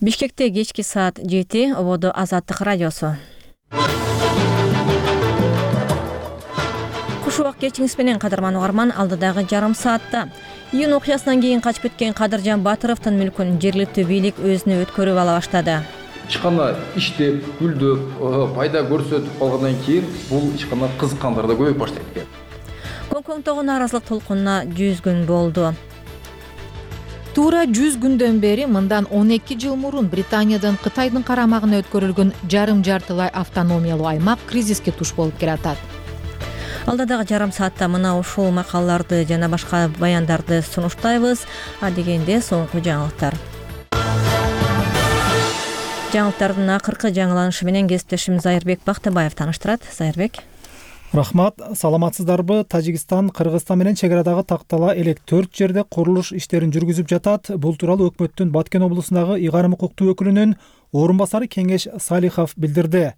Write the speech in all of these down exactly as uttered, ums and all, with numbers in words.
Бишкекте кечки саат жети, ободо Азаттык радиосу. Куш убак кечиңиз менен кадырман угарман, алдыдагы жарым саатта июнь окуясынан кийин качып кеткен Кадыржан Батыровдун мүлкүн жергиликтүү бийлик өзүнө өткөрүп ала баштады. Ичкана иштеп, гүлдөп, пайда көрсөтүп калгандан кийин бул ичкана кызыккандар да көбөйүп баштайт экен. Коңкоңдогу нааразылык толкунуна жүз күн болду. Туура жүз күндөн бери мындан он эки жыл мурун Британиядан Кытайдын карамагына өткөрүлгөн жарым жартылай автономиялуу аймак кризиске туш болуп келатат. Алдыдагы жарым саатта мына ушул макалаларды жана башка баяндарды сунуштайбыз. А дегенде соңку жаңылыктар. Жаңылыктардын акыркы жаңыланышы менен кесиптешим Зайырбек Бактыбаев тааныштырат. Зайырбек. Рахмат, саламатсыздарбы? Тажикстан Кыргызстан менен чек арадагы тактала элек төрт жерде курулуш иштерин жүргүзүп жатат. Бул тууралуу өкмөттүн Баткен облусундагы ыйгарым укуктуу өкүлүнүн орун басары Кеңеш Салихов билдирди.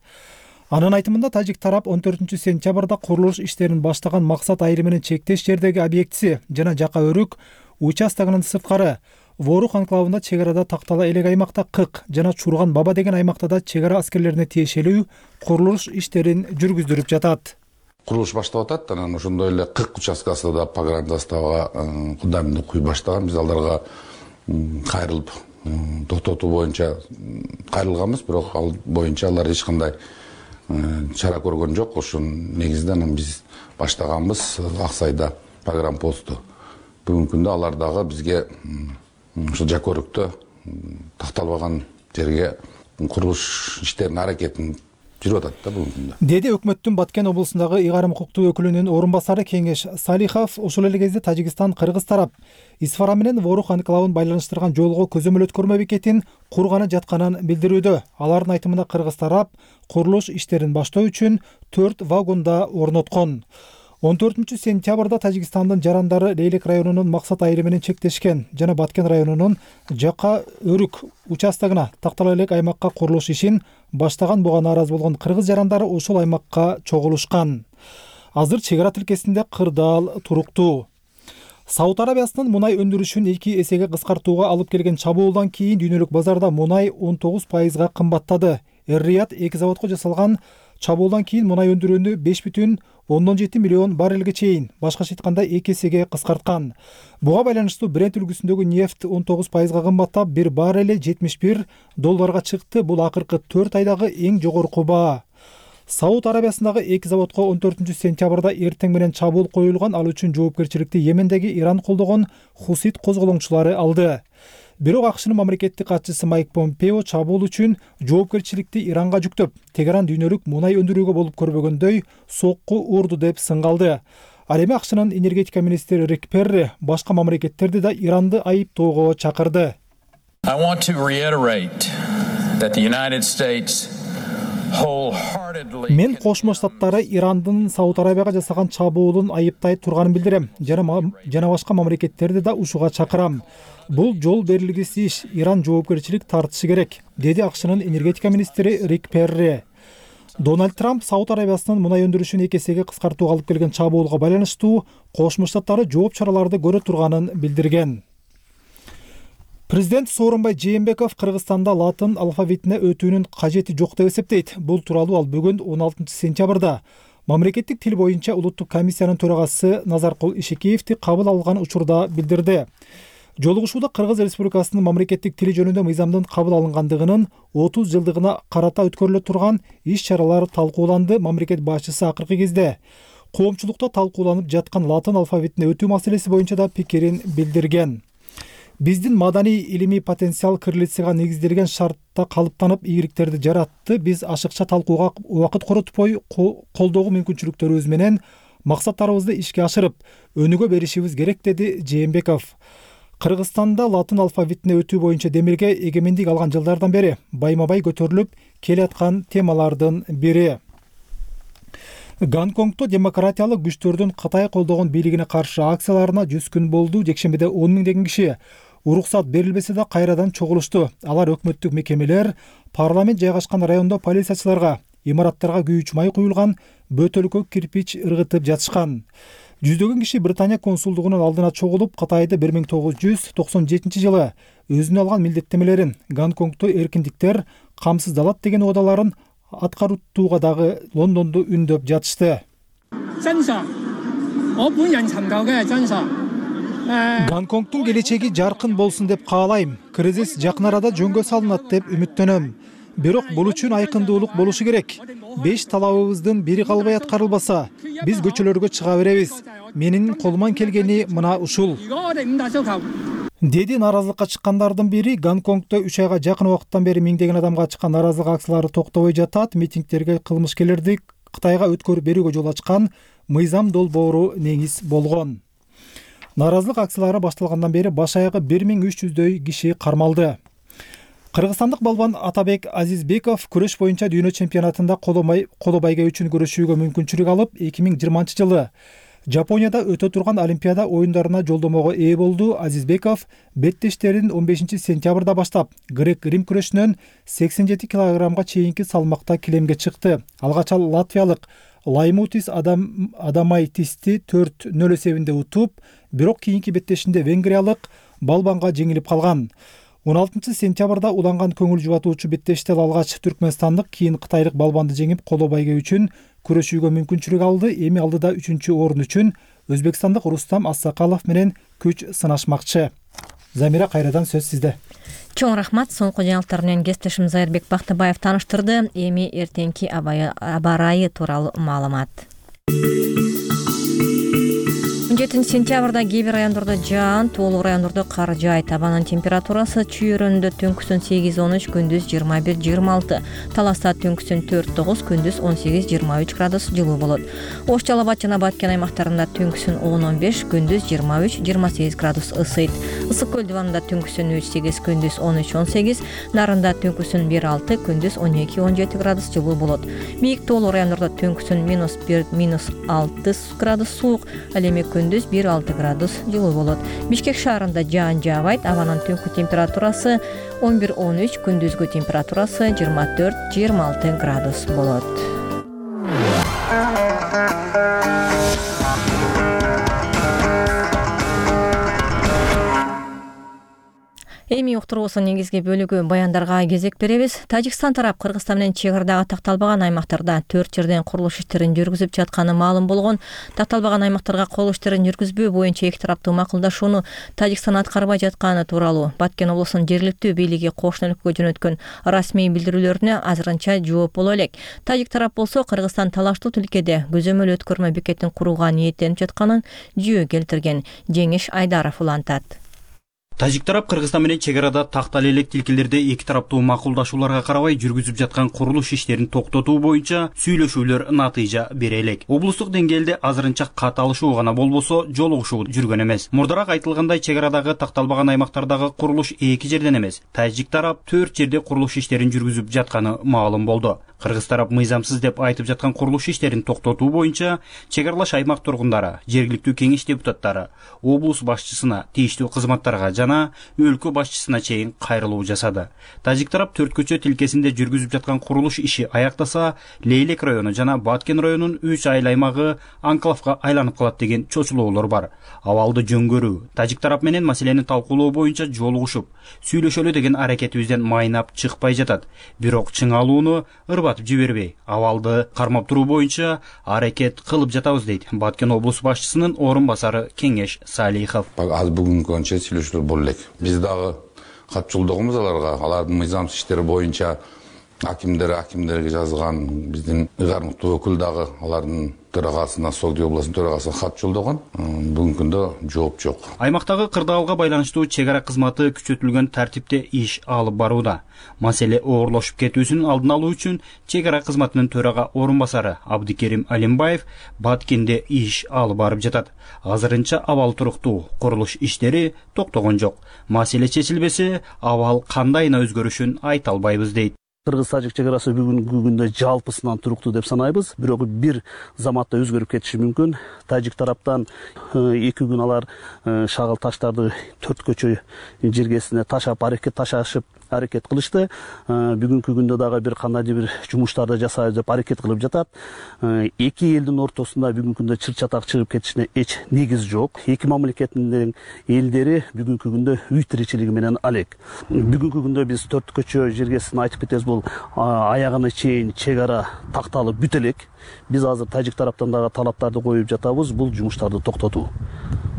Анын айтымында тажик тарап он төртүнчү сентябрда курулуш иштерин баштаган максат айрымынын чектеш жердеги объектиси жана Жака Өрүк участогунун сырткары Ворух анклавында чек арада тактала элек аймакта Кык жана Чурган Баба деген аймакта да чек ара аскерлерине тиешелүү курулуш иштерин жүргүздүрүп жатат. Курулуш баштап атат, анан ошондой эле Кык участкасы да погранзаставага фундаментин куй баштаган. Биз алдарга кайрылып токтотуу боюнча кайрылганбыз, бирок ал боюнча алар эч кандай чара көргөн жок. Ошонун негизинде анан биз баштаганбыз Аксайда погранпосту. Бүгүнкү күндө алар дагы бизге ошо Жакөрүктө такталбаган жерге курулуш иштеринин аракетин жүрүп атат да бүгүнкү күндө. Деди өкмөттүн Баткен облусундагы ыйгарым укуктуу өкүлүнүн орун басары Кеңеш Салихов. Ошол эле кезде Тажикстан Кыргыз тарап Исфара менен Ворух анклавын байланыштырган жолго көзөмөл-өткөрмө бекетин курганы жатканын билдирүүдө. Алардын айтымында Кыргыз тарап курулуш иштерин баштоо үчүн төрт вагонда орноткон. он төртүнчү сентябрда Тажикстандын жарандары Лейлек районунун максат айрымынын чектешкен жана Баткен районунун Жака Өрүк участогуна тактала элек аймакка курулуш ишин баштаган буга нааразы болгон кыргыз жарандары ошол аймакка чогулушкан. Азыр чек ара тилкесинде кырдаал туруктуу. Сауд Арабиясынын мунай өндүрүшүн эки эсеге кыскартууга алып келген чабуулдан кийин дүйнөлүк базарда мунай он тогуз пайызга кымбаттады. Эр-Рияд эки заводко жасалган чабуулдан кийин мунай өндүрүүнү беш бүтүн ондон жети миллион баррелге чейин, башкача айтканда эки эсеге кыскарткан. Буга байланыштуу Брент үлгүсүндөгү нефть он тогуз пайызга кымбаттап, бир баррели жетимиш бир долларга чыкты. Бул акыркы төрт айдагы эң жогорку баа. Сауд Арабиясындагы эки заводко он төртүнчү сентябрда эртең менен чабуул коюлган. Ал үчүн жоопкерчиликти Йемендеги Иран колдогон Хусит козголоңчулары алды. Бирок АКШнын мамлекеттик катчысы Майк Помпео чабуул үчүн жоопкерчиликти Иранга жүктөп, Тегеран дүйнөлүк мунай өндүрүүгө болуп көрбөгөндөй сокку урду деп сынгалды. Ал эми АКШнын энергетика министри Рик Перри башка мамлекеттерди да Иранды айыптоого чакырды. I want to reiterate that the United States Мен Кошмо Штаттары Ирандын Сауд Арабияга жасаган чабуулун айыптай турганын билдирем. Жана башка мамлекеттерди да ушуга чакырам. Бул жол берилгисиз иш. Иран жоопкерчилик тартышы керек, деди АКШнын энергетика министри Рик Перри. Дональд Трамп Сауд Арабиясынын мунай өндүрүшүн эки эсеге кыскартууга алып келген чабуулга байланыштуу Кошмо Штаттары жооп чараларды көрө турганын билдирген. Президент Сооронбай Жээнбеков Кыргызстанда латын алфавитине өтүүнүн кажети жок деп эсептейт. Бул тууралуу ал бүгүн он алтынчы сентябрда мамлекеттик тил боюнча улуттук комиссиянын төрагасы Назаркул Ишекеевди кабыл алган учурда билдирди. Жолугушууда Кыргыз Республикасынын мамлекеттик тили жөнүндө мыйзамдын кабыл алынгандыгынын отуз жылдыгына карата өткөрүлө турган иш-чаралар талкууланды. Мамлекет башчысы акыркы кезде коомчулукта талкууланып жаткан латын алфавитине өтүү маселеси боюнча да пикирин билдирген. Биздин маданий илимий потенциал кириллицага негизделген шартта калыптанып ийгиликтерди жаратты. Биз ашыкча талкууга убакыт коротпой колдогуу мүмкүнчүлүктөрүбүз менен максаттарыбызды ишке ашырып, өнүгө беришибиз керек, деди Жээнбеков. Кыргызстанда латын алфавитине өтүү боюнча демилге эгемендик алган жылдардан бери байма-бай көтөрүлүп келаткан темалардын бири. Гонконгдо демократиялык күчтөрдүн Кытай колдогон бийлигине каршы акцияларына жүз күн болду. Жекшембиде он миңдеген киши уруксат берилбесе да кайрадан чогулушту. Алар өкмөттүк мекемелер, парламент жайгашкан райондо полициячыларга, имараттарга күйүүчү май куюлган бөтөлкө кирпич ыргытып жатышкан. Жүздөгөн киши Британия консулдугунун алдына чогулуп, Кытайды бир миң тогуз жүз токсон жетинчи жылы өзүнө алган милдеттемелерин, Гонконгду эркиндиктер камсыздалат деген оодаларын аткарууга дагы Лондонду үндөп жатышты. Гонконгдун келечеги жаркын болсун деп каалайм. Кризис жакын арада жөнгө салынат деп үмүттөнөм. Бирок бул үчүн айкындуулук болушу керек. Беш талабыбыздын бири калбай аткарылбаса, биз көчөлөргө чыга беребиз. Менин колуман келгени мына ушул. Деди нааразылыкка чыккандардын бири. Гонконгдо үч айга жакын убакыттан бери миңдеген адамга чыккан нааразылык акциялары токтобой жатат. Митингтерге кылмышкерлерди Кытайга өткөрүп берүүгө жол ачкан мыйзам долбоору негиз болгон. Нааразылык акциялары башталгандан бери баш аягы бир миң үч жүздөй киши кармалды. Кыргызстандык балбан Атабек Азизбеков күрөш боюнча дүйнө чемпионатында коло байге үчүн күрөшүүгө мүмкүнчүлүк алып, эки миң жыйырманчы жылы Жапонияда өтө турган Олимпиада оюндарына жолдомого ээ болду. Азизбеков беттештерин он бешинчи сентябрда баштап, грек-рим күрөшүнөн сексен жети килограммга чейинки салмакта килемге чыкты. Алгач ал латвиялык Лаймутис Адам Адамайтисти төрт нөл эсебинде утуп, бирок кийинки беттешинде венгриялык балбанга жеңилип калган. он алтынчы сентябрда уланган көңүл жубатуучу беттештер алгач түркмөнстандык, кийин кытайлык балбанды жеңип, коло байге үчүн күрөшүүгө мүмкүнчүлүк алды. Эми алдыда үчүнчү орун үчүн өзбекстандык Рустам Ассакалов менен күч сынашмакчы. Замира, кайрадан сөз сизде. Чоң рахмат. Соңку жаңылыктар менен кесиптешим Зайырбек Бактыбаев тааныштырды. Эми эртеңки аба ырайы тууралуу маалымат. он жетинчи сентябрда кээ бир райондордо жаан, тоолук райондордо кар жаайт. Абанын температурасы чүйөрөндө түнкүсүн сегиз он үч, күндүз жыйырма бир жыйырма алты. Таласта түнкүсүн төрт тогуз, күндүз он сегиз жыйырма үч градус жылуу болот. Ош Жалал Абад жана Баткен аймактарында түнкүсүн он он беш, күндүз жыйырма үч жыйырма сегиз градус ысыйт. Ысык көл диванында түнкүсүн үч сегиз, күндүз он үч он сегиз, Нарында түнкүсүн бир алты, күндүз он эки он жети градус жылуу болот. Бийик тоолук райондордо түнкүсүн минус бир алты градус суук, ал эми күндүз бир алты градус жылуу болот. Бишкек шаарында жаан жаабайт. Абанын түнкү температурасы он бир он үч, күндүзгү температурасы жыйырма төрт жыйырма алты градус болот. Эми уктуруусунун негизги бөлүгү баяндарга кезек беребиз. Тажикстан тарап Кыргызстан менен чек арадагы такталбаган аймактарда төрт жерден курулуш иштерин жүргүзүп жатканы маалым болгон. Такталбаган аймактарга кол иштерин жүргүзбөө боюнча эки тараптуу макулдашууну Тажикстан аткарбай жатканы тууралуу Баткен облусунун жергиликтүү бийлиги кошуна өлкөгө жөнөткөн расмий билдирүүлөрүнө азырынча жооп боло элек. Тажик тарап болсо Кыргызстан талаштуу тилкеде көзөмөл өткөрмө бекетин курууга ниеттенип жатканын жүйө келтирген. Жеңиш Айдаров улантат. Тажик тарап Кыргызстан менен чек арада тактале элек тилкелерде эки тараптуу макулдашууларга карабай жүргүзүп жаткан курулуш иштерин токтотуу боюнча сүйлөшүүлөр натыйжа бере элек. Облустук деңгээлде азырынча каталышуу гана болбосо жолугушуу жүргөн эмес. Мурдараак айтылгандай, чек арадагы такталбаган аймактардагы курулуш эки жерден эмес, Тажик тарап төрт жерде курулуш иштерин жүргүзүп жатканы маалым болду. Кыргыз тарап мыйзамсыз деп айтып жаткан курулуш иштерин токтотуу боюнча чек аралаш аймак тургундары, жергиликтүү кеңеш депутаттары облус башчысына, тийиштүү кызматтарга жана өлкө башчысына чейин кайрылуу жасады. Тажик тарап төрт көчө тилкесинде жүргүзүп жаткан курулуш иши аяктаса, Лейлек району жана Баткен районунун үч айыл аймагы анклавга айланып калат деген чочулоолор бар. Абалды жөнгөрүү, Тажик тарап менен маселени талкуулоо боюнча жолугушуп, сүйлөшөлү деген аракетибизден майнап чыкпай жатат. Бирок чыңалууну ырбатып жибербей, абалды кармап туруу боюнча аракет кылып жатабыз, дейт Баткен облус башчысынын орун басары Кеңеш Салихов. Az бүгүнкү күнчө сүйлөшүүлөр боло элек. Биз дагы кат жолдогонбуз аларга, алардын мыйзамсыз иштери боюнча акимдер акимдерге жазган, биздин ыйгармыктуу өкүл дагы алардын төрагасына, Согди областынын төрагасына кат жолдогон. Бүгүнкү күндө жооп жок. Аймактагы кырдаалга байланыштуу чек ара кызматы күчөтүлгөн тартипте иш алып барууда. Маселе оорлошуп кетүүсүнүн алдын алуу үчүн чек ара кызматынын төрага орун басары Абдикерим Алимбаев Баткенде иш алып барып жатат. Азырынча абал туруктуу, курулуш иштери токтогон жок. Маселе чечилбесе, абал кандайына өзгөрүшүн айта албайбыз, дейт. Кыргыз-тажик чек арасы бүгүнкү күндө жалпысынан туруктуу деп санайбыз. Бирок бир заматта өзгөрүп кетиши мүмкүн. Тажик тараптан эки күн алар шагыл таштарды төрт көчө жергесине ташап аракет ташашып аракет кылышты. Бүгүнкү күндө дагы бир кандайдыр бир жумуштарды жасайбыз деп аракет кылып жатат. Эки элдин ортосунда бүгүнкү күндө чыр-чатак чыгып кетишине эч негиз жок. Эки мамлекеттин элдери бүгүнкү күндө үй тиричилиги менен алек. Бүгүнкү күндө биз төрт көчө жергесин айтып кетебиз, бул аягына чейин чек ара такталып бүт элек. Биз азыр тажик тараптан дагы талаптарды коюп жатабыз, бул жумуштарды токтотуу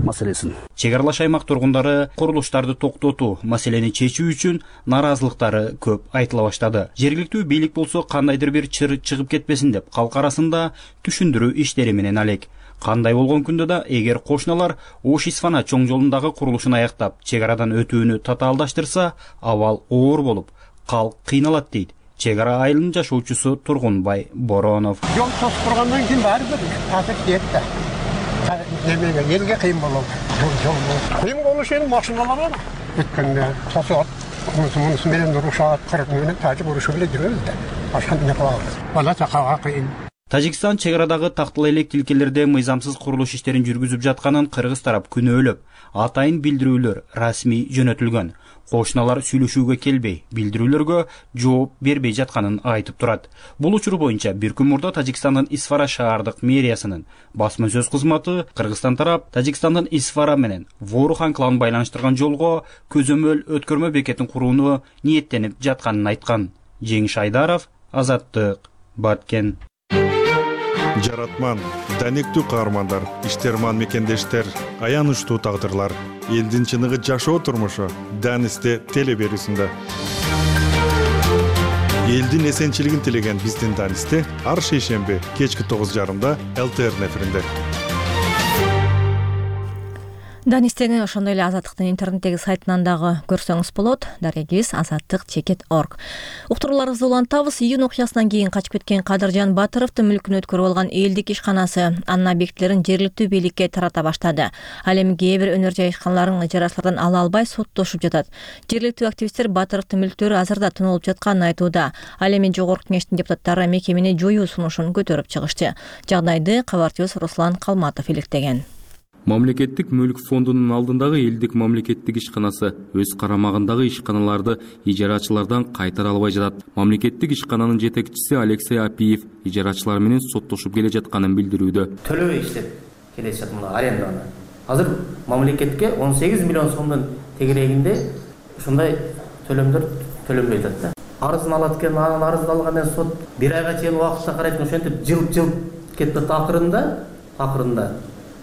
маселесин. Чек аралаш аймак тургундары курулуштарды токтотуу маселени чечүү үчүн наразылыктары көп айтыла баштады. Жергиликтүү бийлик болсо кандайдыр бир чыр чыгып кетпесин деп калк арасында түшүндүрүү иштери менен алек. Кандай болгон күндө да эгер кошуналар Ош-Исфана чоң жолундагы курулушун аяктап, чек арадан өтүүнү татаалдаштырса, абал оор болуп, калк кыйналат дейт чек ара айылынын жашоочусу Тургунбай Боронов. Жол тосуп тургандан кийин баары бир таза кетти. Немеге элге кыйын болот. Жол кыйын болушу эми машиналар бар. Өткөндө тосот, мунусу менен урушат, кырк менен тажик урушу менен жүрөбүз да. Башка эмне кылабыз? Бала чакага кыйын. Тажикстан чек арадагы тактыл элек тилкелерде мыйзамсыз курулуш иштерин жүргүзүп жатканын кыргыз тарап күнөөлөп, атайын билдирүүлөр расмий жөнөтүлгөн. Кошуналар сүйлөшүүгө келбей, билдирүүлөргө жооп бербей жатканын айтып турат. Бул учур боюнча бир күн мурда Тажикстандын Исфара шаардык мэриясынын басма сөз кызматы Кыргызстан тарап Тажикстандын Исфара менен Ворух анклавын байланыштырган жолго көзөмөл өткөрмө бекетин курууну ниеттенип жатканын айткан. Жеңиш Айдаров, Азаттык, Баткен. Жаратман, данектүү каармандар, иштерман мекендештер, аянычтуу тагдырлар, элдин чыныгы жашоо турмушу Данисте телеберүүсүндө. Элдин эсенчилигин тилеген биздин Данисте ар шейшемби кечки тогуз жарымда эл тэ эр эфиринде. Данистени ошондой эле Азаттыктын интернеттеги сайтынан дагы көрсөңүз болот. Дарегибиз азаттык чекит точка орг. Уктурууларыбызды улантабыз. Июнь окуясынан кийин качып кеткен Кадыржан Батыровдун мүлкүн өткөрүп алган элдик ишканасы анын объектилерин жергиликтүү бийликке тарата баштады. Ал эми кээ бир өнөр жай ишканаларын ижарачылардан ала албай соттошуп жатат. Жергиликтүү активисттер Батыровдун мүлктөрү азырда тонолуп жатканын айтууда. Ал эми жогорку кеңештин депутаттары мекемени жоюу сунушун көтөрүп чыгышты. Жагдайды кабарчыбыз Руслан Калматов иликтеген. Мамлекеттик мүлк фондунун алдындагы элдик мамлекеттик ишканасы өз карамагындагы ишканаларды ижарачылардан кайтара албай жатат. Мамлекеттик ишкананын жетекчиси Алексей Апиев ижарачылар менен соттошуп келе жатканын билдирүүдө. Төлөбөй иштеп келе жатат мына аренданы. Азыр мамлекетке он сегиз миллион сомдун тегерегинде ушундай төлөмдөр төлөнбөй жатат да. Арызын алат экен, анын арызын алгандан сот бир айга чейин убакытта карайт, ошентип жылып-жылып кетет. Акырында, акырында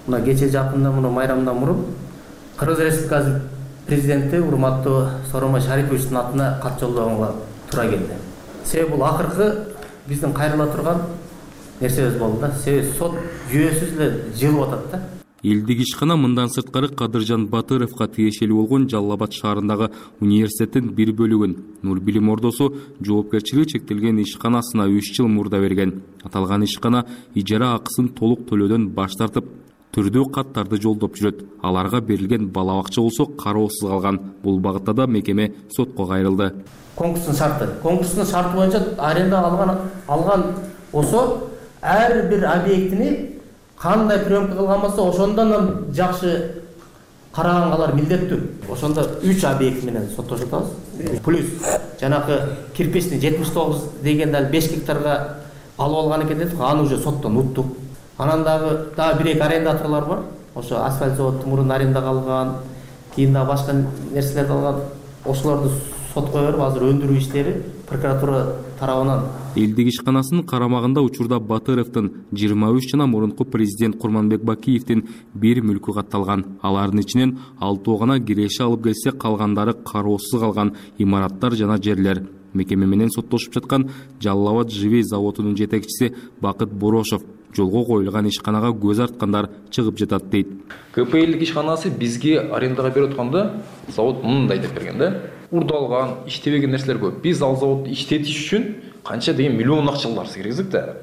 мына кече жакында муну майрамдан мурун Кыргыз Республикасы президенти урматтуу Сооронбай Шариповичтин атына кат жолдогонго туура келди. Себеби бул акыркы биздин кайрыла турган нерсебиз болду да. Себеби сот жүйөсүз эле жылып атат да. Элдик ишкана мындан сырткары Кадыржан Батыровго тиешелүү болгон Жалал Абад шаарындагы университеттин бир бөлүгүн Нур билим ордосу жоопкерчилиги чектелген ишканасына үч жыл мурда берген. Аталган ишкана ижара акысын толук төлөөдөн баш тартып, түрдүү каттарды жолдоп жүрөт. Аларга берилген бала бакча болсо кароосуз калган. Бул багытта да мекеме сотко кайрылды. Конкурстун шарты, конкурстун шарты боюнча аренда алган алган болсо ар бир объектини кандай приемка кылган болсо ошондон жакшы караганга алар милдеттүү. Ошондо үч объект менен соттошуп атабыз. Плюс жанакы кирпичный жетимиш тогуз деген дал беш гектарга алып алган экен дедик, аны уже соттон уттук. Анан дагы дагы бир эки арендаторлор бар. Ошо асфальт заводтун мурун арендага алган, кийин дагы башка нерселерди алган. Ошолорду сотко берип, азыр өндүрүү иштери прокуратура тарабынан. Элдик ишканасынын карамагында учурда Батыровдун жыйырма үч жана мурунку президент Курманбек Бакиевдин бир мүлкү катталган. Алардын ичинен алтоо гана киреше алып келсе, калгандары кароосуз калган имараттар жана жерлер. Мекеме менен соттошуп жаткан Жалал Абад Живей заводунун жетекчиси Бакыт Борошов жолго коюлган ишканага көз арткандар чыгып жатат дейт. ка пэ элдик ишканасы бизге арендага берип атканда завод мындай деп берген да. Урдалган, иштебеген нерселер көп. Биз ал заводду иштетиш үчүн канча деген миллион акчалар киргиздик да.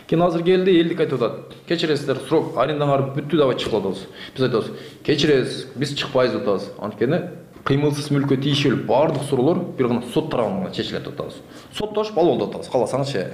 Кийин азыр келди, элдик айтып атат. Кечиресиздер, срок арендаңар бүттү, давай чыгып атабыз. Биз айтабыз, кечиресиз, биз чыкпайбыз деп атабыз. Анткени кыймылсыз мүлккө тийишелүү баардык суроолор бир гана сот тарабынан чечилет деп атабыз. Соттошуп алып атабыз, кааласаңызчы.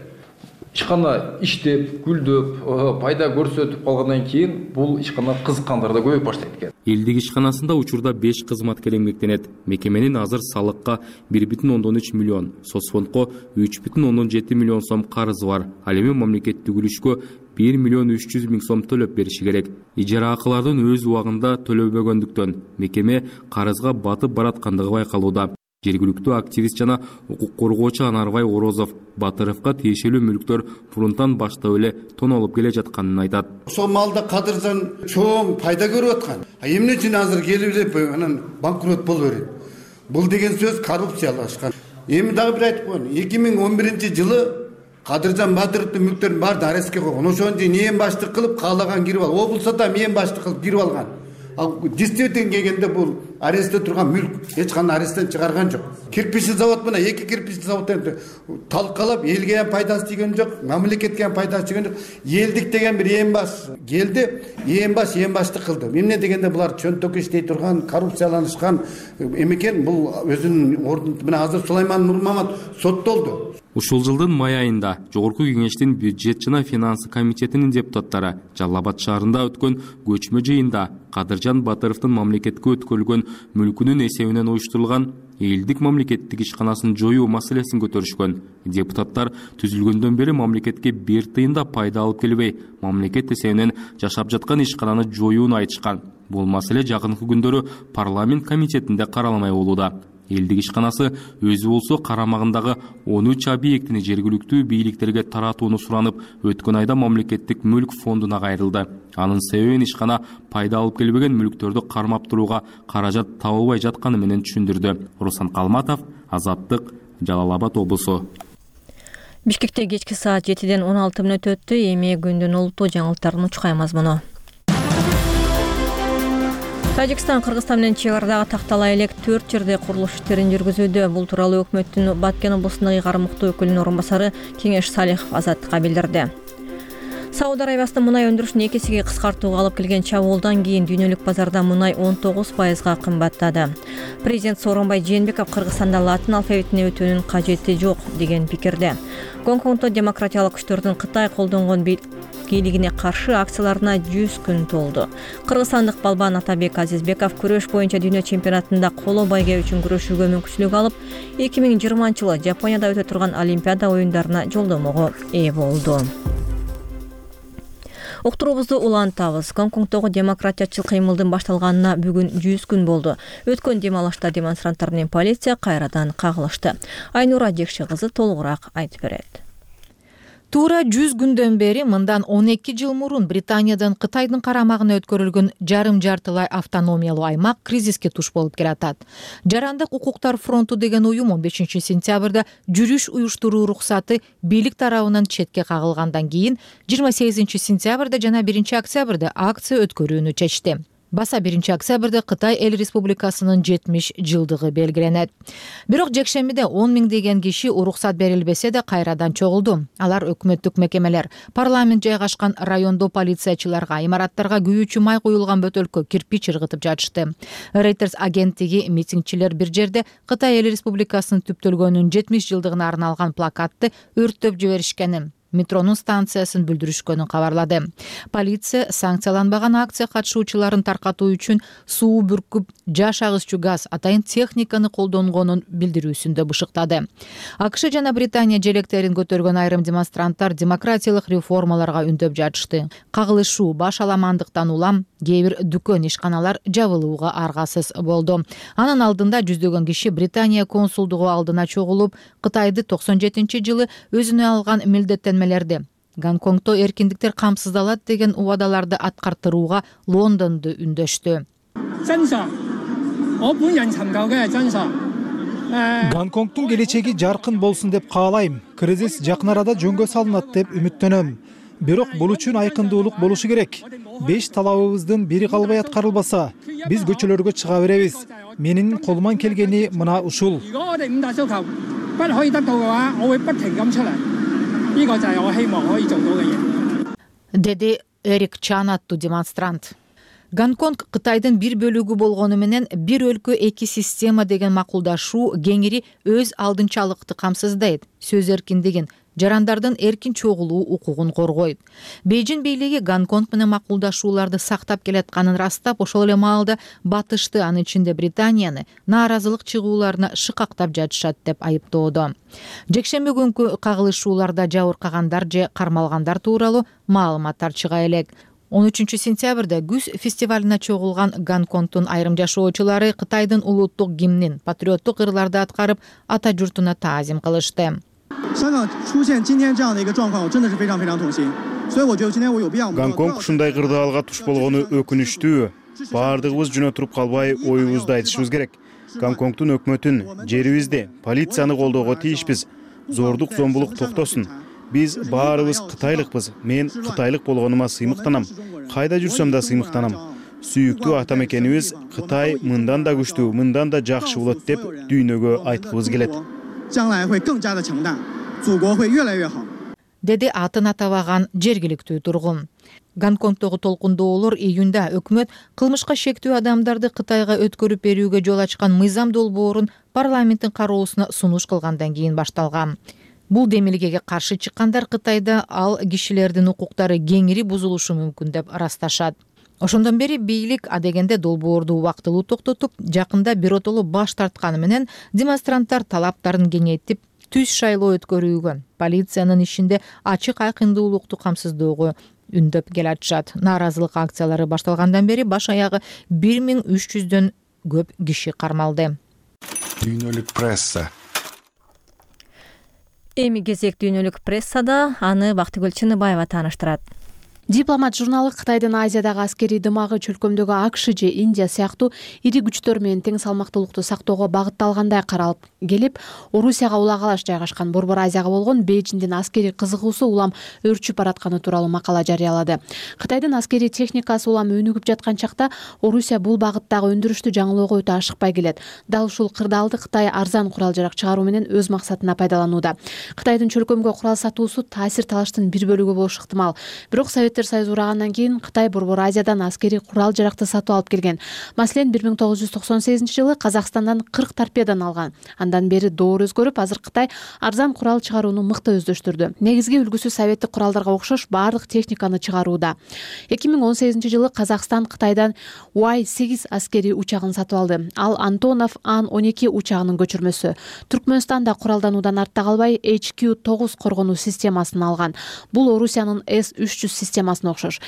Ишкана иштеп, гүлдөп, пайда көрсөтүп калгандан кийин бул ишкана кызыккандар да көбөйүп баштайт экен. Элдик ишканасында учурда беш кызматкер эмгектенет. Мекеменин азыр салыкка бир бүтүн ондон үч миллион, соцфондко үч бүтүн ондон жети миллион сом карызы бар. Ал эми мамлекеттик үлүшкө бир миллион үч жүз миң сом төлөп бериши керек. Ижара акылардын өз убагында төлөбөгөндүктөн мекеме карызга батып бараткандыгы байкалууда. Жергиликтүү активист жана укук коргоочу Анарбай Орозов Батыровго тиешелүү мүлктөр фронттан баштап эле тоналып келе жатканын айтат. Ошол малда кадыржан чоң пайда көрүп аткан. Эмне үчүн азыр келип эле анан банкрот болуп берет? Бул деген сөз коррупциялашкан. Эми дагы бир айтып коеюн. эки миң он биринчи жылы Кадыржан Батыровдун мүлктөрүн баарын арестке койгон. Ошону ээн баштык кылып каалаган кирип ал. Облусто да ээн баштык кылып кирип алган. Ал действительно келгенде бул арестте турган мүлк эч кандай аресттен чыгарган жок. Кирпичный завод менен эки кирпичный заводдон талкалап элге ham пайдасы тийген жок, мамлекетке ham пайдасы тийген жок. Элдик деген бир ээн баш келди, ээн баш ээн баштык кылды. Эмне дегенде булар чөнтөк иштей турган, коррупцияланышкан эмекен, бул өзүнүн ордун менен азыр Сулайман Нурмамат соттолду. Ушул жылдын май айында Жогорку Кеңештин бюджет жана финансы комитетинин депутаттары Жалал Абад шаарында өткөн көчмө жыйында Кадыржан Батыровдун мамлекетке өткөрүлгөн мүлкүнүн эсебинен уюштурулган элдик мамлекеттик ишканасын жоюу маселесин көтөрүшкөн. Депутаттар түзүлгөндөн бери мамлекетке бир тыйын да пайда алып келбей, мамлекет эсебинен жашап жаткан ишкананы жоюуну айтышкан. Бул маселе жакынкы күндөрү парламент комитетинде каралмай болууда. Элдик ишканасы өзү болсо карамагындагы он үч объектини жергиликтүү бийликтерге таратууну суранып, өткөн айда мамлекеттик мүлк фондуна кайрылды. Анын себебин ишкана пайда алып келбеген мүлктөрдү кармап турууга каражат табылбай жатканы менен түшүндүрдү. Руслан Калматов, Азаттык, Жалал Абад облусу. Бишкекте кечки саат жетиден он алты мүнөт өттү. Эми күндүн улуттуу жаңылыктарын учкай мазмуну. Тажикстан Кыргызстан менен чек арадагы тактала элек төрт жерде курулуш иштерин жүргүзүүдө. Бул тууралуу өкмөттүн Баткен облусундагы ыйгарым укуктуу өкүлүнүн орун басары Кеңеш Салихов Азаттыкка билдирди. Сауд Арабиясынын мунай өндүрүшүн эки эсеге кыскартууга алып келген чабуулдан кийин дүйнөлүк базарда мунай он тогуз пайызга кымбаттады. Президент Сооронбай Жээнбеков Кыргызстанда латын алфавитине өтүүнүн кажети жок деген пикирде. Гонконгдо демократиялык күчтөрдүн Кытай колдонгон бийлигине каршы акцияларына жүз күн толду. Кыргызстандык балбан Атабек Азизбеков күрөш боюнча дүйнө чемпионатында коло байге үчүн күрөшүүгө мүмкүнчүлүк алып, эки миң жыйырманчы жылы Жапонияда өтө турган Олимпиада оюндарына жолдомого ээ болду. Уктуруубузду улантабыз. Гонконгдогу демократиячыл кыймылдын башталганына бүгүн жүз күн болду. Өткөн дем алышта демонстранттар менен полиция кайрадан кагылышты. Айнура Жекши кызы толугураак айтып берет. Туура жүз күндөн бери мындан он эки жыл мурун Британиядан Кытайдын карамагына өткөрүлгөн жарым жартылай автономиялуу аймак кризиске туш болуп келатат. Жарандык укуктар фронту деген уюм он бешинчи сентябрда жүрүш уюштуруу уруксаты бийлик тарабынан четке кагылгандан кийин жыйырма сегизинчи сентябрда жана биринчи октябрда акция өткөрүүнү чечти. Баса биринчи октябрда Кытай Эл Республикасынын жетимиш жылдыгы белгиленет. Бирок жекшембиде он миңдеген киши уруксат берилбесе да кайрадан чогулду. Алар өкмөттүк мекемелер, парламент жайгашкан райондо полициячыларга, имараттарга күйүүчү май куюлган бөтөлкө кирпич ыргытып жатышты. Reuters агенттиги митингчилер бир жерде Кытай Эл Республикасынын түптөлгөнүнүн жетимиш жылдыгына арналган плакатты өрттөп жиберишкенин, метронун станциясын бүлдүрүшкөнүн кабарлады. Полиция санкцияланбаган акция катышуучуларын таркатуу үчүн суу бүркүп, жаш агызчу газ, атайын техниканы колдонгонун билдирүүсүндө бышыктады. АКШ жана Британия желектерин көтөргөн айрым демонстранттар демократиялык реформаларга үндөп жатышты. Кагылышуу баш аламандыктан улам кээ бир дүкөн, ишканалар жабылууга аргасыз болду. Анын алдында жүздөгөн киши Британия консулдугу алдына чогулуп, Кытайды токсон жетинчи жылы өзүнө алган милдеттенмелерди, Гонконгдо эркиндиктер камсыздалат деген убадаларды аткартырууга Лондонду үндөштү. Гонконгдун келечеги жаркын болсун деп каалайм. Кризис жакын арада жөнгө салынат деп үмүттөнөм. Бирок бул үчүн айкындуулук болушу керек. Беш талабыбыздын бири калбай аткарылбаса, биз көчөлөргө чыга беребиз. Менин колуман келгени мына ушул. Деди Эрик Чан аттуу демонстрант. Гонконг Кытайдын бир бөлүгү болгону менен бир өлкө эки система деген макулдашуу кеңири өз алдынчалыкты камсыздайт, сөз эркиндигин, жарандардын эркин чогулуу укугун коргойт. Бейжин бийлиги Гонконг менен макулдашууларды сактап келатканын растап, ошол эле маалда батышты, анын ичинде Британияны нааразылык чыгууларына шыкактап жатышат деп айыптоодо. Жекшемби күнкү кагылышууларда жабыркагандар же кармалгандар тууралуу маалыматтар чыга элек. он үчүнчү сентябрда күз фестивалына чогулган Гонконгдун айрым жашоочулары Кытайдын улуттук гимнин патриоттук ырларды аткарып, ата журтуна таазим кылышты. Гонконг ушундай кырдаалга туш болгону өкүнүчтүү. Баардыгыбыз жөн отуруп калбай, оюбузду айтышыбыз керек. Гонконгдун өкмөтүн, жерибизди, полицияны колдоого тийишпиз. Зордук, зомбулук токтосун. Биз баарыбыз кытайлыкпыз. Мен кытайлык болгонума сыймыктанам. Кайда жүрсөм да сыймыктанам. Сүйүктүү ата мекенибиз Кытай мындан да күчтүү, мындан да жакшы болот деп дүйнөгө айткыбыз келет. Деди атын атабаган жергиликтүү тургун. Гонконгдогу толкундоолор июнда өкмөт кылмышка шектүү адамдарды Кытайга өткөрүп берүүгө жол ачкан мыйзам долбоорун парламенттин кароосуна сунуш кылгандан кийин башталган. Бул демилгеге каршы чыккандар Кытайда ал кишилердин укуктары кеңири бузулушу мүмкүн деп ырасташат. Ошондон бери бийлик адегенде долбоорду убактылуу токтотуп, жакында биротоло баш тартканы менен демонстранттар талаптарын кеңейтип, түз шайлоо өткөрүүгө, полициянын ишинде ачык айкындуулукту камсыздоого үндөп келатышат. Нааразылык акциялары башталгандан бери баш аягы бир миң үч жүздөн көп киши кармалды. Дүйнөлүк пресса. Эми кезек дүйнөлүк прессада, аны Бактыгүл Чыныбаева тааныштырат. Дипломат журналы Кытайдын Азиядагы аскерий дымагы чөлкөмдөгү АКШ же Индия сыяктуу ири күчтөр менен тең салмактуулукту сактоого багытталгандай каралып келип, Орусияга улагалаш жайгашкан Борбор Азияга болгон Бейжиңдин аскерий кызыгуусу улам өрчүп баратканы тууралуу макала жарыялады. Кытайдын аскерий техникасы улам өнүгүп жаткан чакта Орусия бул багыттагы өндүрүштү жаңылоого өтө ашыкпай келет. Дал ушул кырдаалды Кытай арзан курал-жарак чыгаруу менен өз максатына пайдаланууда. Кытайдын чөлкөмгө курал сатуусу таасир талаштын бир бөлүгү болушу ыктымал. Бирок Советтер Союзу урагандан кийин Кытай Борбор Азиядан аскерий курал-жаракты сатып алып келген. Маселен, бир миң тогуз жүз токсон сегизинчи жылы Казакстандан кырк торпеданы алган. Андан бери доор өзгөрүп, азыр Кытай арзан курал чыгарууну мыкты өздөштүрдү. Негизги үлгүсү советтик куралдарга окшош баардык техниканы чыгарууда. эки миң он сегизинчи жылы Казакстан Кытайдан уай сегиз аскерий учагын сатып алды. Ал Антонов Ан он эки учагынын көчүрмөсү. Түркмөнстан да куралдануудан артта калбай эйч кью тогуз коргонуу системасын алган. Бул Орусиянын эс үч жүз системасына окшош.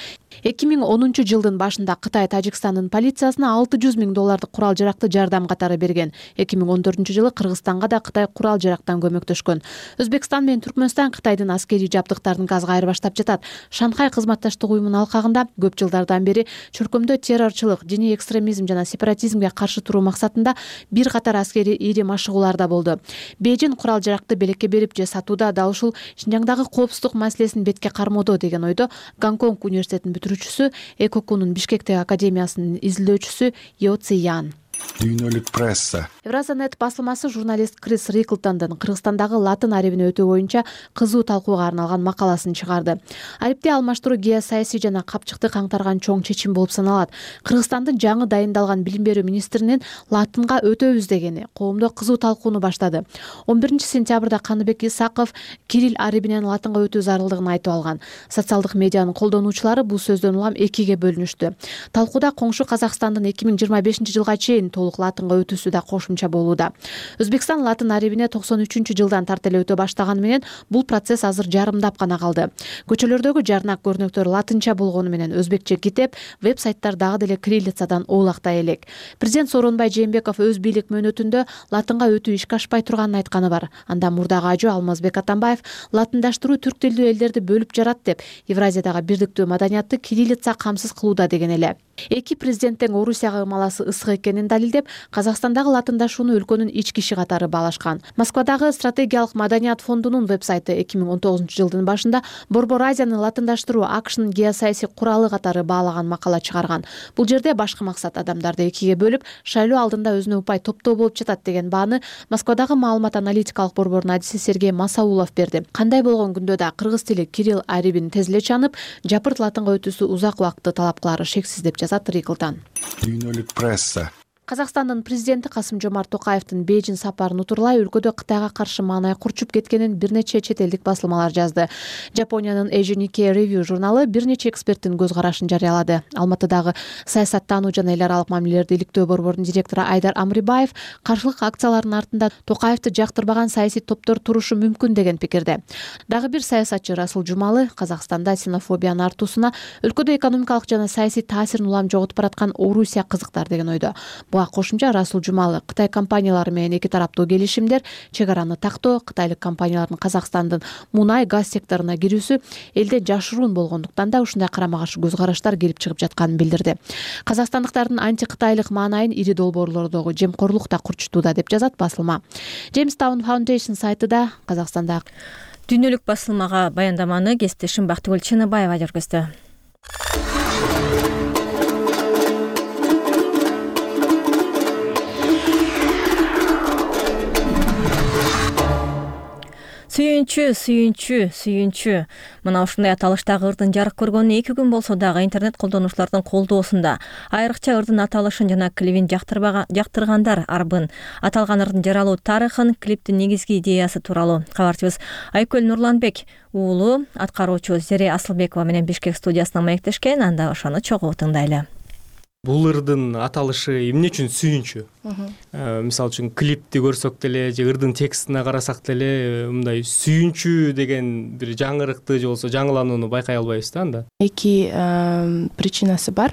эки миң онунчу жылдын башында Кытай Тажикстандын полициясына алты жүз миң доллардык курал-жаракты жардам катары берген. эки миң он төртүнчү жылы Кыргызстанга да Кытай курал-жарактан көмөктөшкөн. Өзбекстан менен Түркмөнстан Кытайдын аскерий жабдыктарын газга айырбаштап жатат. Шанхай кызматташтык уюмунун алкагында көп жылдардан бери чөлкөмдө террорчулук, диний экстремизм жана сепаратизмге каршы туруу максатында бир катар аскерий ири машыгуулар да болду. Бейжин курал-жаракты белекке берип же сатууда дал ушул Шинжаңдагы коопсуздук маселесин бетке кармоодо деген ойдо Гонконг университетинин бүтүрүүчүсү, Экокунун Бишкектеги академиясынын изилдөөчүсү Йо Циян. Дүйнөлүк пресса. Евразанет басылмасы журналист Крис Риклтондун Кыргызстандагы латын арибине өтүү боюнча кызуу талкууга арналган макаласын чыгарды. Арипти алмаштыруу геосаясий жана капчыкты каңтарган чоң чечим болуп саналат. Кыргызстандын жаңы дайындалган билим берүү министринин латынга өтөбүз дегени коомдо кызуу талкууну баштады. он биринчи сентябрда Каныбек Исаков Кирилл арибинен латынга өтүү зарылдыгын айтып алган. Социалдык медианын колдонуучулары бул сөздөн улам экиге бөлүнүштү. Талкууда коңшу Казакстандын эки миң жыйырма бешинчи жылга чейин толук латынга өтүүсү да кошумча болууда. Өзбекстан латын арибине токсон үчүнчү жылдан тарта эле өтө баштаганы менен бул процесс азыр жарымдап гана калды. Көчөлөрдөгү жарнак көрүнөктөр латынча болгону менен өзбекче китеп, веб-сайттар дагы деле кириллицадан оолактай элек. Президент Сооронбай Жээнбеков өз бийлик мөөнөтүндө латынга өтүү ишке ашпай турганын айтканы бар. Анда мурдагы ажы Алмазбек Атамбаев латындаштыруу түрк тилдүү элдерди бөлүп жарат деп, Евразиядагы бирдиктүү маданиятты кириллица камсыз кылууда деген эле. Эки президенттин Орусияга ымаласы ысык экенин далилдеген далилдеп, Казакстандагы латындашууну өлкөнүн ички иши катары баалашкан. Москвадагы стратегиялык маданият фондунун веб-сайты эки миң он тогузунчу жылдын башында Борбор Азияны латындаштыруу АКШнын геосаясий куралы катары баалаган макала чыгарган. Бул жерде башкы максат адамдарды экиге бөлүп, шайлоо алдында өзүнө упай топтоо болуп жатат деген бааны Москвадагы маалымат аналитикалык борбордун адиси Сергей Масаулов берди. Кандай болгон күндө да кыргыз тили Кирилл Арибин тез эле чанып, жапырт латынга өтүүсү узак убакытты талап кылары шексиз деп жазат Ригылдан. Дүйнөлүк пресса. Казакстандын президенти Касым-Жомарт Токаевдин Бейжин сапарын утурлай өлкөдө Кытайга каршы маанай курчуп кеткенин бир нече чет элдик басылмалар жазды. Жапониянын Asian Nikkei Review журналы бир нече эксперттин көз карашын жарыялады. Алматыдагы саясаттануу жана эл аралык мамилелерди иликтөө борбордун директору Айдар Амрибаев каршылык акциялардын артында Токаевди жактырбаган саясий топтор турушу мүмкүн деген пикирде. Дагы бир саясатчы Расул Жумалы Казакстанда ксенофобиянын артуусуна өлкөдө экономикалык жана саясий таасирин улам жоготуп бараткан Орусия кызыктар деген ойдо. Кошумча Расул Жумалы Кытай компаниялары менен эки тараптуу келишимдер, чек араны тактоо, кытайлык компаниялардын Казакстандын мунай газ секторуна кирүүсү элде жашыруун болгондуктан да ушундай карама-каршы көз караштар келип чыгып жатканын билдирди. Казакстандыктардын анти-кытайлык маанайын ири долбоорлордогу жемкорлук да курчутууда деп жазат басылма. Jamestown Foundation сайтыда Казакстанда дүйнөлүк басылмага баяндаманы кесиптешим Бактыгүл Чыныбаева жүргүздү. Сүйүнчү, сүйүнчү, сүйүнчү. Мына ушундай аталыштагы ырдын жарык көргөнүнө эки күн болсо дагы интернет колдонуучулардын колдоосунда. Айрыкча ырдын аталышын жана клипин жактыргандар арбын. Аталган ырдын жаралуу тарыхын, клиптин негизги идеясы тууралуу кабарчыбыз Айкөл Нурланбек уулу аткаруучу Зере Асылбекова менен Бишкек студиясына маектешкен, анда ошону чогуу тыңдайлы. Бул ырдын аталышы эмне үчүн сүйүнчү? Мисалы үчүн клипти көрсөк деле же ырдын текстине карасак деле мындай сүйүнчү деген бир жаңырыкты же болбосо жаңыланууну байкай албайбыз да анда. Эки причинасы бар.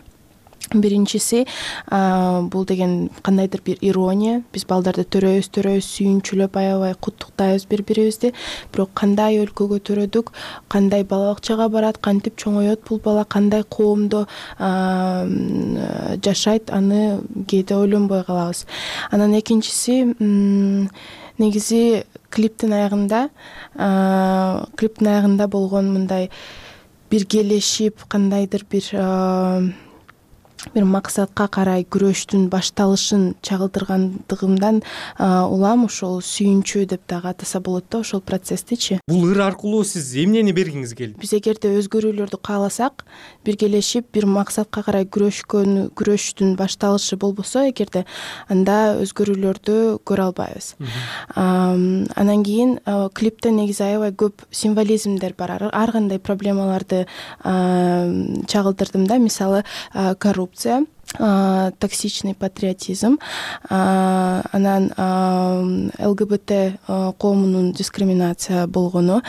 Биринчиси бул деген кандайдыр бир ирония. Биз балдарды төрөбүз, төрөбүз, сүйүнчүлөп аябай куттуктайбыз бири-бирибизди. Бирок кандай өлкөгө төрөдүк, кандай бала бакчага барат, кантип чоңоет бул бала, кандай коомдо жашайт, аны кээде ойлонбой калабыз. Анан экинчиси негизи клиптин аягында, клиптин аягында болгон мындай биргелешип кандайдыр бир бир максатка карай күрөштүн башталышын чагылдыргандыгымдан улам ошол сүйүнчү деп дагы атаса болот да ошол процесстичи. Бул ыр аркылуу сиз эмнени бергиңиз келди? Биз эгерде өзгөрүүлөрдү кааласак, биргелешип бир максатка карай күрөшкөн күрөштүн башталышы болбосо эгерде, анда өзгөрүүлөрдү көрө албайбыз. Анан кийин клипте негизи аябай көп символизмдер бар. Ар кандай проблемаларды чагылдырдым да, мисалы коррупция, токсичный патриотизм, анан ЛГБТ коомунун дискриминация болгону,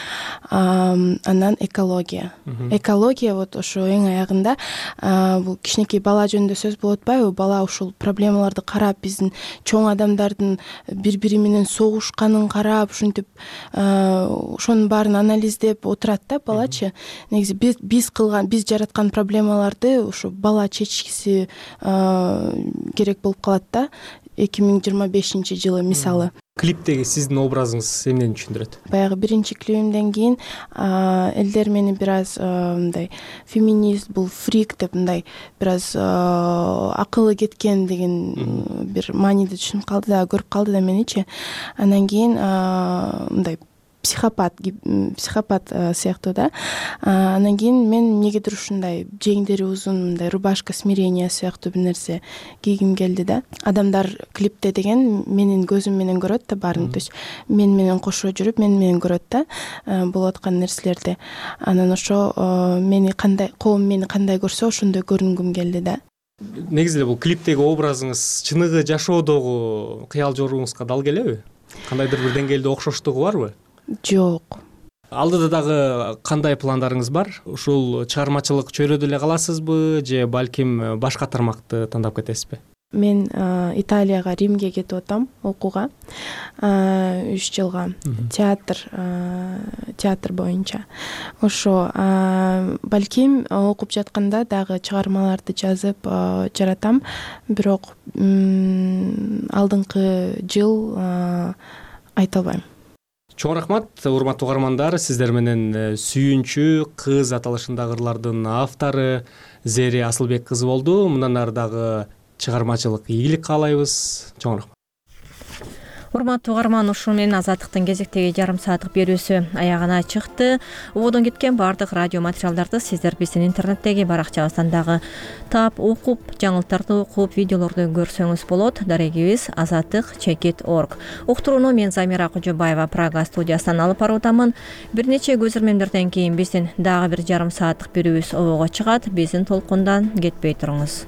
анан экология. Экология вот ошо эң аягында бул кичинекей бала жөнүндө сөз болуп атпайбы? Бала ушул проблемаларды карап, биздин чоң адамдардын бири-бири менен согушканын карап, ушинтип ошонун баарын анализдеп отурат да балачы. Негизи биз кылган, биз жараткан проблемаларды ошо бала чечкиси керек болуп калат да эки миң жыйырма бешинчи жылы мисалы. Клиптеги сиздин образыңыз эмнени түшүндүрөт? Баягы биринчи клипимден кийин элдер мени бир аз мындай феминист, бул фрик деп мындай бир аз акылы кеткен деген бир мааниде түшүнүп калды да, көрүп калды да меничи. Анан кийин мындай психопат, психопат сыяктуу да. Анан кийин мен эмнегедир ушундай жеңдери узун, мындай рубашка смирения сыяктуу бир нерсе кийгим келди да. Адамдар клипте деген менин көзүм менен көрөт да баарын, то есть мен менен кошо жүрүп, мен менен көрөт да болуп аткан нерселерди. Анан ошо мени кандай, коом мени кандай көрсө ошондой көрүнгүм келди да. Негизи эле бул клиптеги образыңыз чыныгы жашоодогу кыял жоруңузга дал келеби? Кандайдыр бир деңгээлде окшоштугу барбы? Жок. Алдыда дагы кандай пландарыңыз бар? Ушул чыгармачылык чөйрөдө эле каласызбы же балким башка тармакты тандап кетесизби? Мен Италияга, Римге кетип атам окууга үч жылга театр театр боюнча. Ошо балким окуп жатканда дагы чыгармаларды жазып жаратам, бирок алдыңкы жыл айта албайм. Чоң рахмат, урматтуу угармандар. Сиздер менен Сүйүнчү кыз аталышындагы ырлардын автору Зери Асылбек кызы болду. Мындан ары дагы чыгармачылык ийгилик каалайбыз. Чоң рахмат. Урматтуу угарман, ушул менен Азаттыктын кезектеги жарым сааттык берүүсү аягына чыкты. Ободон кеткен бардык радио материалдарды сиздер биздин интернеттеги баракчабыздан дагы таап, окуп, жаңылыктарды окуп, видеолорду көрсөңүз болот. Дарегибиз азаттык чекит точка орг. Уктурууну мен Замира Кожобаева Прага студиясынан алып баруудамын. Бир нече көзөрмөмдөрдөн кийин биздин дагы бир жарым сааттык берүүбүз обого чыгат. Биздин толкундан кетпей туруңуз.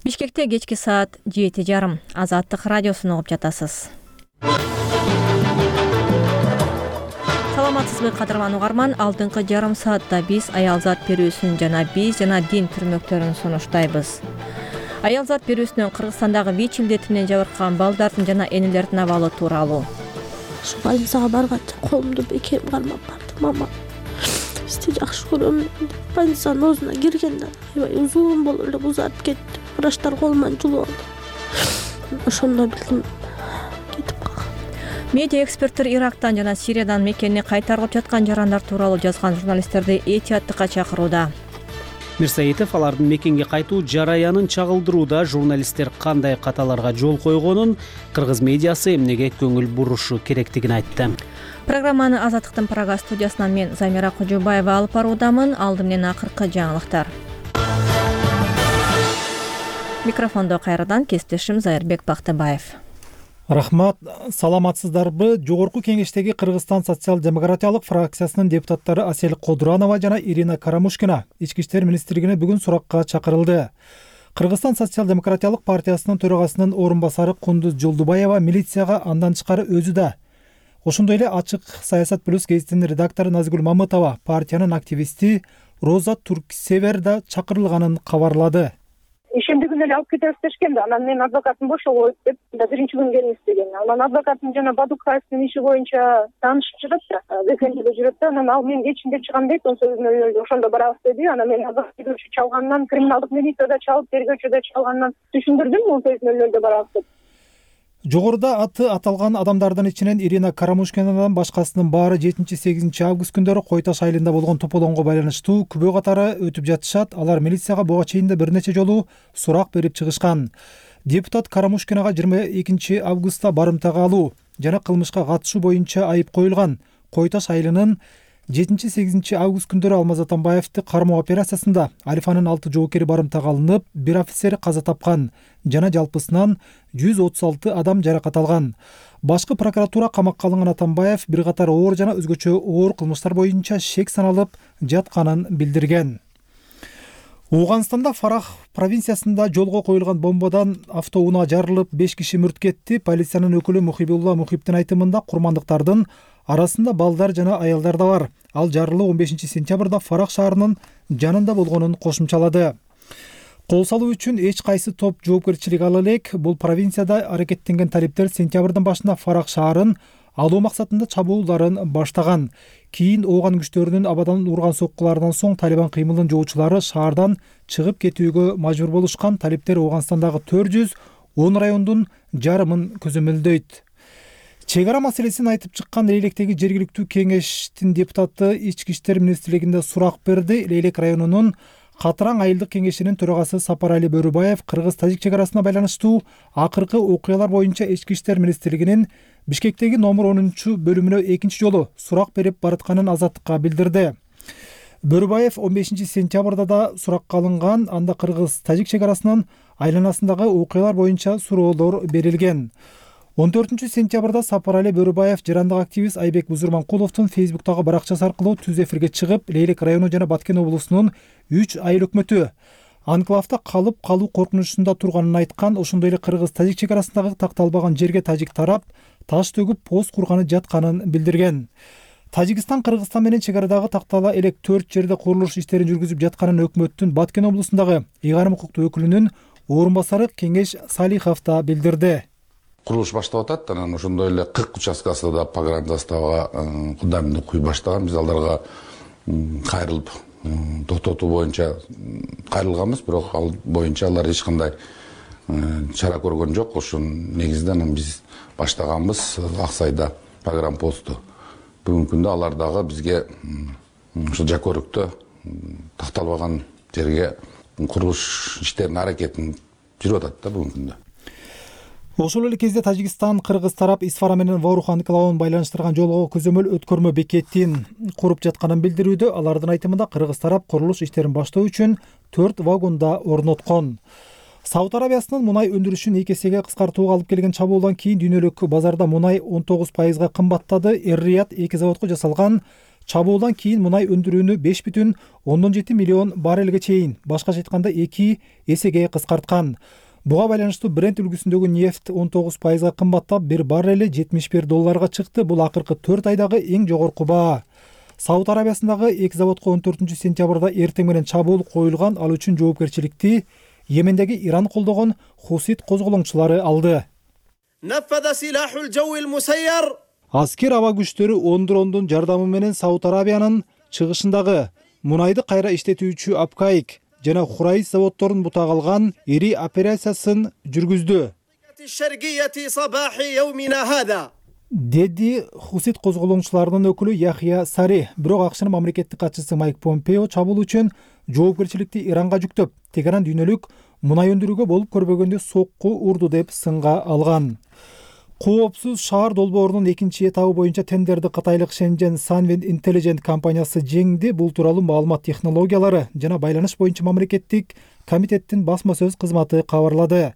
Бишкекте кечки саат жети жарым. Азаттык радиосун угуп жатасыз. Саламатсызбы кадырлан угарман? Алдыңкы жарым саатта биз аялзат берүүсүн жана биз жана дин түрмөктөрүн сунуштайбыз. Аялзат берүүсүнөн Кыргызстандагы ВИЧ илдетинен жабыркаган балдардын жана энелердин абалы тууралуу. Ушу больницага барганча колумду бекем кармап бардым. Мама, сизди жакшы көрөм. Больницанын оозуна киргенде аябай узун болуп эле узарып кетти. Врачтар колуман жулуп алды. Ошондо билдим кетип калган. Медиа эксперттер Ирактан жана Сириядан мекенine кайтарылып жаткан жарандар тууралуу жазган журналисттерди этияттыкка чакырууда. Мирсаитов алардын мекенге кайтуу жараянын чагылдырууда журналисттер кандай каталарга жол койгонун, кыргыз медиасы эмнеге көңүл бурушу керектигин айтты. Программаны Азаттыктын Прага студиясынан мен Замира Кожобаева алып баруудамын. Алды менен акыркы жаңылыктар. Микрофондо кайрадан кесиптешим Зайырбек Бактыбаев. Рахмат, саламатсыздарбы? Жогорку кеңештеги Кыргызстан социал-демократиялык фракциясынын депутаттары Асель Кодуранова жана Ирина Карамушкина Ички иштер министрлигине бүгүн суракка чакырылды. Кыргызстан социал-демократиялык партиясынын төрагасынын орун басары Кундуз Жолдубаева милицияга андан тышкары өзү да. Ошондой эле Ачык Саясат плюс гезитинин редактору Назгүл Мамытова партиянын активисти Роза Турксевер да чакырылганын кабарлады. Ишемди күнү эле алып кетебиз дешкен да, анан мен адвокатым бошого деп биринчи күн келиңиз деген. Анан адвокатым жана Бадукаевдин иши боюнча таанышып жүрөт да, Бекендеде жүрөт да, анан ал мен кечинде чыгам дейт, он сегиз нөл нөлдө ошондо барабыз деди. Анан мен адвокат чалгандан, криминалдык милицияда чалып, тергөөчүдө чалгандан түшүндүрдүм он сегиз нөл нөлдө барабыз деп. Жогоруда аты аталган адамдардын ичинен Ирина Карамушкинадан башкасынын баары жетинчи сегизинчи август күндөрү Кой Таш айылында болгон тополоңго байланыштуу күбө катары өтүп жатышат. Алар милицияга буга чейин да бир нече жолу сурак берип чыгышкан. Депутат Карамушкинага жыйырма экинчи августта барымтага алуу жана кылмышка катышуу боюнча айып коюлган. Кой Таш айылынын жетинчи сегизинчи август күндөрү Алмаз Атамбаевди кармоо операциясында Алифанын алты жоокери барымтага алынып, бир офицер каза тапкан жана жалпысынан жүз отуз алты адам жаракат алган. Башкы прокуратура камакка алынган Атамбаев бир катар оор жана өзгөчө оор кылмыштар боюнча шек саналып жатканын билдирген. Ооганстанда Фарах провинциясында жолго коюлган бомбадан автоунаа жарылып, беш киши мүрт кетти. Полициянын өкүлү Мухибулла Мухибдин айтымында курмандыктардын арасында балдар жана аялдар да бар. Ал жарылуу он бешинчи сентябрда Фарах шаарынын жанында болгонун кошумчалады. Кол салуу үчүн эч кайсы топ жоопкерчилик ала элек. Бул провинцияда аракеттенген талиптер сентябрдын башында Фарах шаарын алуу максатында чабуулдарын баштаган. Кийин ооган күчтөрүнүн абадан урган соккуларынан соң Талибан кыймылын жоочулары шаардан чыгып кетүүгө мажбур болушкан. Талиптер Ооганстандагы төрт жүз он райондун жарымын көзөмөлдөйт. Чек ара маселесин айтып чыккан Лейлектеги жергиликтүү кеңештин депутаты Ички иштер министрлигинде сурак берди. Лейлек районунун Катыраң айылдык кеңешинин төрагасы Сапарали Бөрүбаев кыргыз-тажик чек арасына байланыштуу акыркы окуялар боюнча Ички иштер министрлигинин Бишкектеги номер онунчу бөлүмүнө экинчи жолу сурак берип баратканын Азаттыкка билдирди. Бөрүбаев он бешинчи сентябрда да суракка алынган. Анда кыргыз-тажик чек арасынын айланасындагы окуялар боюнча суроолор берилген. он төртүнчү сентябрда Сапарали Бөрүбаев жарандык активист Айбек Бузурманкуловдун Фейсбуктагы баракчасы аркылуу түз эфирге чыгып, Лейлек району жана Баткен облусунун үч айыл өкмөтү анклавда калып калуу коркунучунда турганын айткан. Ошондой эле кыргыз-тажик чек арасындагы такталбаган жерге тажик тарап таш төгүп пост курганы жатканын билдирген. Тажикстан Кыргызстан менен чек арадагы тактала элек төрт жерде курулуш иштерин жүргүзүп жатканын өкмөттүн Баткен облусундагы ыйгарым укуктуу өкүлүнүн орун басары Кеңеш Салихов да билдирди. Курулуш баштап атат, анан ошондой эле кырк участкасында да погранзаставага фундаментти куй баштаган. Биз алдарга кайрылып токтотуу боюнча кайрылганбыз, бирок ал боюнча алар эч кандай чара көргөн жок. Ошонун негизинде анан биз баштаганбыз Ак Сайда погранпосту. Бүгүнкү күндө алар дагы бизге ушул Жакөрүктө такталбаган жерге курулуш иштеринин аракетин жүрүп атат да бүгүнкү күндө. Ошол эле кезде Тажикстан Кыргыз тарап Исфара менен Ворух анклавын байланыштырган жолго көзөмөл өткөрмө бекетин куруп жатканын билдирүүдө. Алардын айтымында Кыргыз тарап курулуш иштерин баштоо үчүн төрт вагонда орноткон. Сауд Арабиясынын мунай өндүрүшүн эки эсеге кыскартууга алып келген чабуулдан кийин дүйнөлүк базарда мунай он тогуз пайызга кымбаттады. Эр-Рияд эки заводко жасалган чабуулдан кийин мунай өндүрүүнү беш бүтүн ондон жети миллион баррелге чейин, башкача айтканда эки эсеге кыскарткан. Буга байланыштуу Брент үлгүсүндөгү нефть он тогуз пайызга кымбаттап, бир баррели жетимиш бир долларга чыкты. Бул акыркы төрт айдагы эң жогорку баа. Сауд Арабиясындагы эки заводко он төртүнчү сентябрда эртең менен чабуул коюлган. Ал үчүн жоопкерчиликти Йемендеги Иран колдогон Хусит козголоңчулары алды. Аскер аба күчтөрү он дрондун жардамы менен Сауд Арабиянын чыгышындагы мунайды кайра иштетүүчү Апкайк жана Хурайс заводдорун бутак алган ири операциясын жүргүздү, деди Хусит козголоңчуларынын өкүлү Яхья Сари. Бирок АКШнын мамлекеттик катчысы Майк Помпео чабуул үчүн жоопкерчиликти Иранга жүктөп, Тегеран дүйнөлүк мунай өндүрүүгө болуп көрбөгөндө сокку урду деп сынга алган. Коопсуз шаар долбоорунун экинчи этабы боюнча тендерди кытайлык Shenzhen Sunwind Intelligent компаниясы жеңди. Бул тууралуу маалымат технологиялары жана байланыш боюнча мамлекеттик комитеттин басма сөз кызматы кабарлады.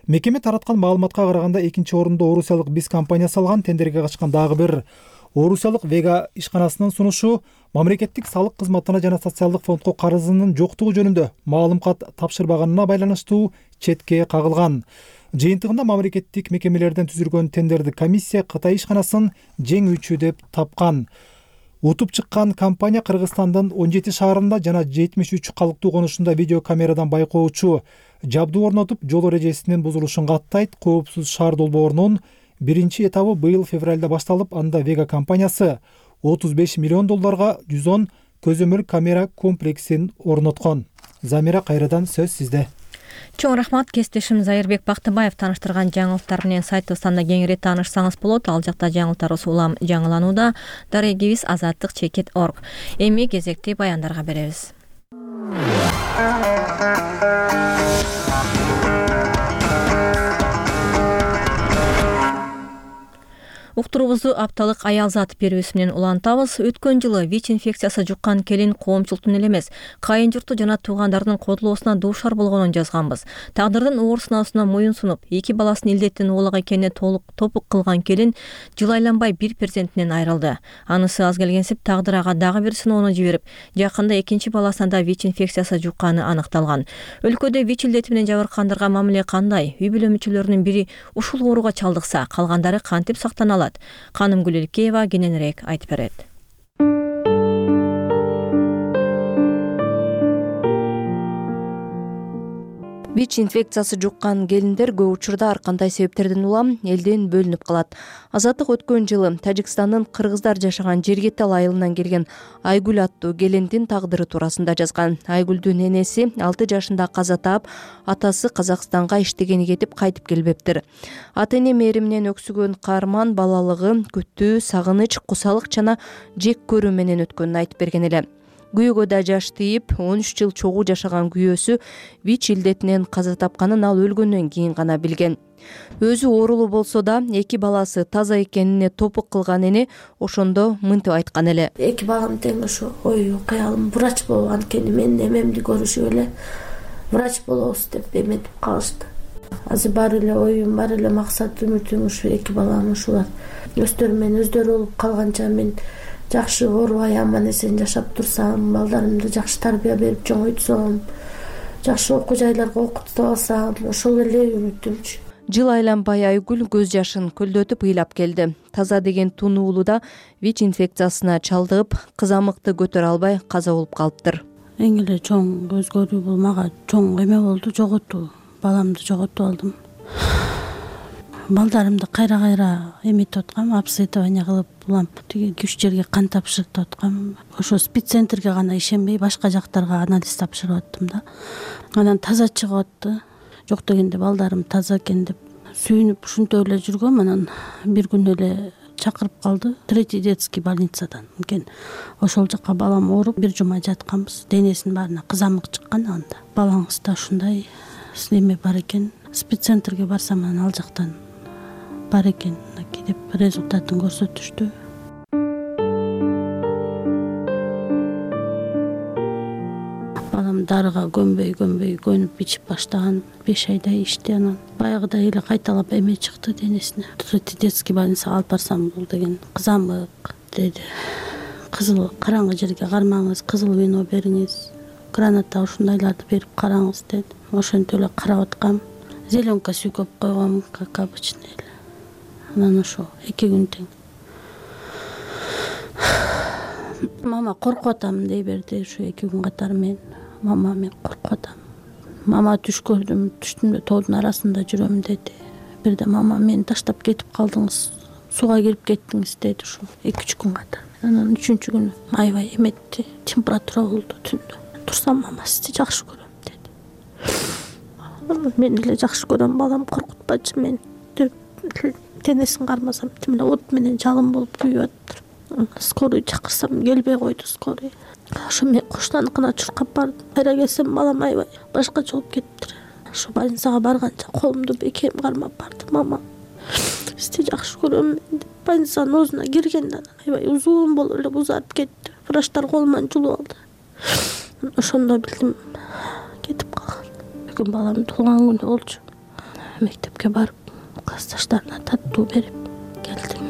Мекеме тараткан маалыматка караганда экинчи орунду орусиялык Биз компаниясы алган. Тендерге качкан дагы бир орусиялык Вега ишканасынын сунушу мамлекеттик салык кызматына жана социалдык фондко карызынын жоктугу жөнүндө маалым кат тапшырбаганына байланыштуу четке кагылган. Жыйынтыгында мамлекеттик мекемелерден түзүлгөн тендерди комиссия Кытай ишканасын жеңүүчү деп тапкан. Утуп чыккан компания Кыргызстандын он жети шаарында жана жетимиш үч калктуу конушунда видеокамерадан байкоочу жабдуу орнотуп, жол эрежесинин бузулушун каттайт. Коопсуз шаар долбоорунун биринчи этабы быйыл февралда башталып, анда Вега компаниясы отуз беш миллион долларга жүз он көзөмөл камера комплексин орноткон. Замира, кайрадан сөз сизде. Чоң рахмат. Кесиптешим Зайырбек Бактыбаев тааныштырган жаңылыктар менен сайтыбыздан да кеңири таанышсаңыз болот. Ал жакта жаңылыктарыбыз улам жаңыланууда. Дарегибиз азаттык чекит точка орг. Эми кезекти баяндарга беребиз. Уктуруубузду апталык аял зат берүүсү менен улантабыз. Өткөн жылы ВИЧ инфекциясы жуккан келин коомчулуктун эле эмес, кайын журту жана туугандардын кодулоосуна дуушар болгонун жазганбыз. Тагдырдын оор сыноосуна моюн сунуп, эки баласын илдеттин уулак экенине толук топук кылган келин жыл айланбай бир перзентинен айрылды. Анысы аз келгенсип тагдыр ага дагы бир сыноону жиберип, жакында экинчи баласына да ВИЧ инфекциясы жукканы аныкталган. Өлкөдө ВИЧ илдети менен жабыркагандарга мамиле кандай? Үй бүлө мүчөлөрүнүн бири ушул ооруга чалдыкса, калгандары кантип сактана? Канымгүл Элкеева кененирээк айтып берет. ВИЧ инфекциясы жуккан келиндер көп учурда ар кандай себептерден улам элден бөлүнүп калат. Азаттык өткөн жылы Тажикстандын кыргыздар жашаган Жергетал айылынан келген Айгүл аттуу келиндин тагдыры туурасында жазган. Айгүлдүн энеси алты жашында каза таап, атасы Казакстанга иштегени кетип кайтып келбептир. Ата эне мээриминен өксүгөн каарман балалыгы күттүү, сагыныч, кусалык жана жек көрүү менен өткөнүн айтып берген эле. Күйөөгө да жаш тийип, он үч жыл чогуу жашаган күйөөсү ВИЧ илдетинен каза тапканын ал өлгөндөн кийин гана билген. Өзү оорулуу болсо да, эки баласы таза экенине топук кылган эне ошондо мынтип айткан эле. Эки балам тең ошо ою кыялым врач болгон экен, менин эмемди көрүшүп эле врач болобуз деп эметип калышты. азыр бар эле оюм, бар эле максат, үмүтүм ушу эки балам ушулар өздөрү менен өздөрү болуп калганча мен жакшы оорубай аман эсен жашап турсам, балдарымды жакшы тарбия берип чоңойтсом, жакшы окуу жайларга окутуп алсам, ошол эле үмүтүмчү. Жыл айланбай Айгүл көз жашын көлдөтүп ыйлап келди. Таза деген тунуулуда ВИЧ инфекциясына чалдыгып, кызамыкты көтөрө албай каза болуп калыптыр. Эң эле чоң өзгөрүү бул мага чоң эме болду, жоготуу. Баламды жоготуп алдым. Балдарымды кайра-кайра эметип аткам, обследование кылып, улам тиги күч жерге кан тапшыртып аткам. Ошо спеццентрге гана ишенбей, башка жактарга анализ тапшырып аттым да. Анан таза чыгып атты. Жок дегенде балдарым таза экен деп сүйүнүп ушинтип эле жүргөм. Анан бир күн эле чакырып калды третий детский больницадан экен. Ошол жака балам ооруп бир жума жатканбыз. Денесинин баарына кызамык чыккан. Анда балаңызда ушундай неме бар экен. Спеццентрге барсам анан ал жактан бар экен деп результатын көрсөтүштү. Балам дарыга көнбөй көнбөй көнүп ичип баштаган, беш айдай ичти. Анан баягыдай эле кайталап эме чыкты денесине. Третий детский больницага алып барсам, бул деген кызамык деди. Кызыл караңгы жерге кармаңыз, кызыл вино бериңиз, граната ушундайларды берип караңыз деди. Ошентип эле карап аткам. Зеленка сүйкөп койгом, как обычно эле. Анан ошо эки күн тең. Мама коркуп атам дей берди ушу эки күн катары. Мен мама мен коркуп атам. Мама түш көрдүм, түштүмдө тоодун арасында жүрөм деди. Бирде мама мени таштап кетип калдыңыз, сууга кирип кеттиңиз деди ушу эки үч күн катары. Анан үчүнчү күнү аябай эметти, температура болду түндө. Турсам мама сизди жакшы көрөм деди. Мен эле жакшы көрөм, балам коркутпачы мени деп денесин кармасам, тим эле от менен жалын болуп күйүп аттыр. Скорый чакырсам келбей койду скорый. Ошо мен коштаныкына чуркап бардым. Кайра келсем балам аябай башкача болуп кетиптир. Ошо больницага барганча колумду бекем кармап бардым. Мама сизди жакшы көрөм деп больницанын оозуна киргенде аябай узун болуп эле узарып кетти. Врачтар колуман жулуп алды. Ошондо билдим кетип калган. Бүгүн балам туулган күнү болчу. Мектепке барып, классташтарына таттуу берип келдим.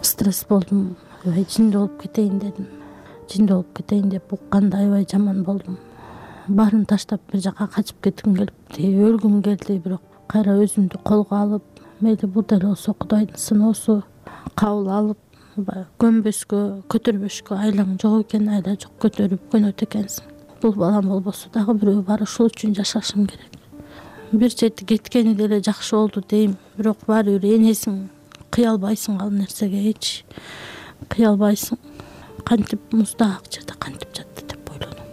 Стресс болдум. Аябай жинди болуп кетейин дедим. Жинди болуп кетейин деп укканда аябай жаман болдум. Баарын таштап бир жака качып кетким келипти, өлгүм келди, бирок кайра өзүмдү колго алып, мейли бул деле болсо Кудайдын сыноосу, кабыл алып, көнбөскө, көтөрбөшкө айлаң жок экен, айла жок көтөрүп көнөт экенсиң. Бул балам болбосо дагы бирөө бар, ошол үчүн жашашым керек. Бир чети кеткени деле жакшы болду дейм, бирок баары бир энесиң, кыя албайсың ал нерсеге, эч кыя албайсың. Кантип муздак жерде кантип жатты деп ойлодум.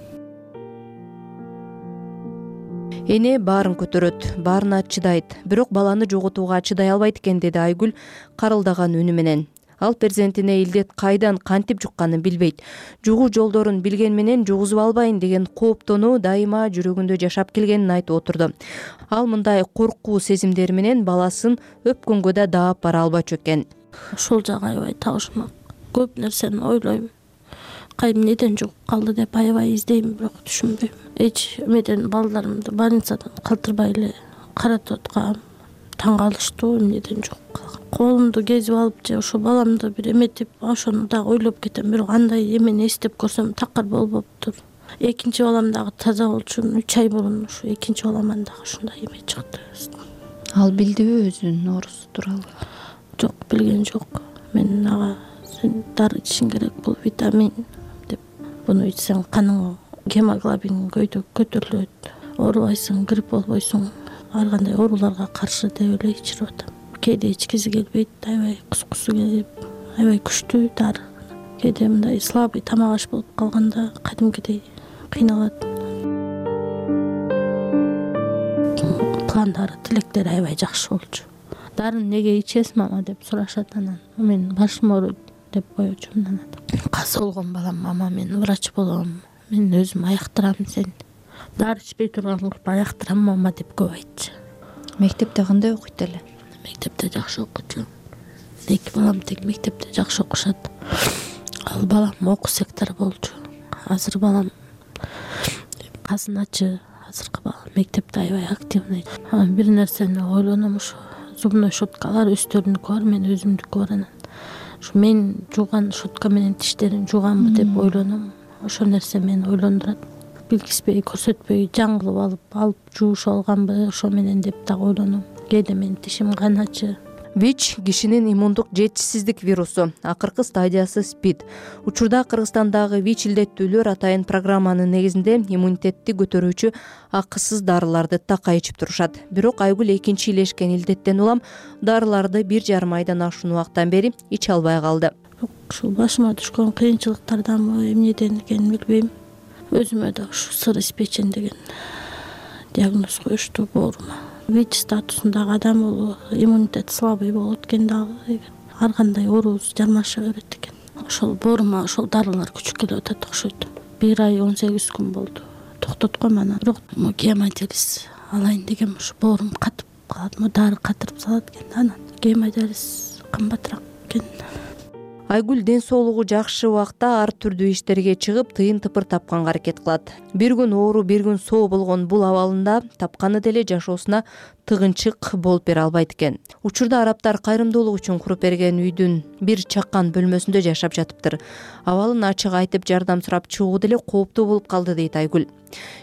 Эне баарын көтөрөт, баарына чыдайт, бирок баланы жоготууга чыдай албайт экен, деди Айгүл карылдаган үнү менен. Ал перзентине илдет кайдан кантип жукканын билбейт. Жугуу жолдорун билген менен жугузуп албайын деген кооптонуу дайыма жүрөгүндө жашап келгенин айтып отурду. Ал мындай коркуу сезимдери менен баласын өпкөнгө да даап бара албачу экен. Ошол жагы аябай табышмак. Көп нерсени ойлойм. Кайым неден жугуп калды деп аябай издейм, бирок түшүнбөйм. Эч эмеден балдарымды больницадан калтырбай эле каратып аткам. Таң калыштуу, эмнеден жугуп калган. Колумду кезип алып же ошо баламды бир эметип, ошону дагы ойлоп кетем, бирок андай эмени эстеп көрсөм такыр болбоптур. Экинчи балам дагы таза болчу, үч ай мурун ушу экинчи баламан дагы ушундай эме чыкты. Ал билдиби өзүнүн оорусу тууралуу? Жок, билген жок. Мен ага сен дары ичишиң керек, бул витамин деп. Буну ичсең каның гемоглобин көтөрүлөт, оорубайсың, грипп болбойсуң, ар кандай ооруларга каршы деп эле ичирип атам. Кээде ичкиси келбейт, аябай кускусу келип, аябай күчтүү дары. Кээде мындай слабый тамак аш болуп калганда кадимкидей кыйналат. Пландары, тилектери аябай жакшы болчу. Дарыны неге ичесиз мама деп сурашат анан. Мен башым ооруйт деп коечумун анан. Каза болгон балам, мама мен врач болом, мен өзүм аяктырам сени. Дары ичпей турган кылып аяктырам мама деп көп айтчу. Мектепте кандай окуйт эле? Мектепте жакшы окучу. Эки балам тең мектепте жакшы окушат. Ал балам окуу сектор болчу. Азыр балам казыначы, азыркы бала мектепте аябай активный. Анан бир нерсени ойлоном, ушу зубной щеткалар өздөрүнүкү бар, мен өзүмдүкү бар. Анан ушу мен жууган щетка менен тиштерин жууганбы деп ойлоном. Ошол нерсе мени ойлондурат. Билгизбей, көрсөтпөй жаңылып алып, алып жуушуп алганбы ошо менен деп дагы ойлоном. Кээде менин тишим каначы. ВИЧ кишинин иммундук жетишсиздик вирусу, акыркы стадиясы СПИД. Учурда Кыргызстандагы ВИЧ илдеттүүлөр атайын программанын негизинде иммунитетти көтөрүүчү акысыз дарыларды такай ичип турушат. Бирок Айгүл экинчи илешкен илдеттен улам дарыларды бир жарым айдан ашуун убакыттан бери иче албай калды. Ушул башыма түшкөн кыйынчылыктарданбы, эмнеден экенин билбейм. Өзүмө да ушу сыр испечен деген диагноз коюшту боорума. ВИЧ статусундагы адам бул иммунитет слабый болот экен дагы. Ар кандай оору жармаша берет экен. Ошол боорума ошол дарылар күчүп келип атат окшойт. Бир ай он сегиз күн болду. Токтотком анан. Бирок гемодиализ алайын дегем, ушу боорум катып калат, дары катырып салат экен. Анан гемодиализ кымбатыраак экен. Айгүл ден соолугу жакшы убакта ар түрдүү иштерге чыгып, тыйын тыпыр тапканга аракет кылат. Бир күн оору, бир күн соо болгон бул абалында тапканы деле жашоосуна тыгынчык болуп бере албайт экен. Учурда арабтар кайрымдуулук үчүн куруп берген үйдүн бир чаккан бөлмөсүндө жашап жатыптыр. Абалын ачык айтып жардам сурап чыгуу деле кооптуу болуп калды дейт Айгүл.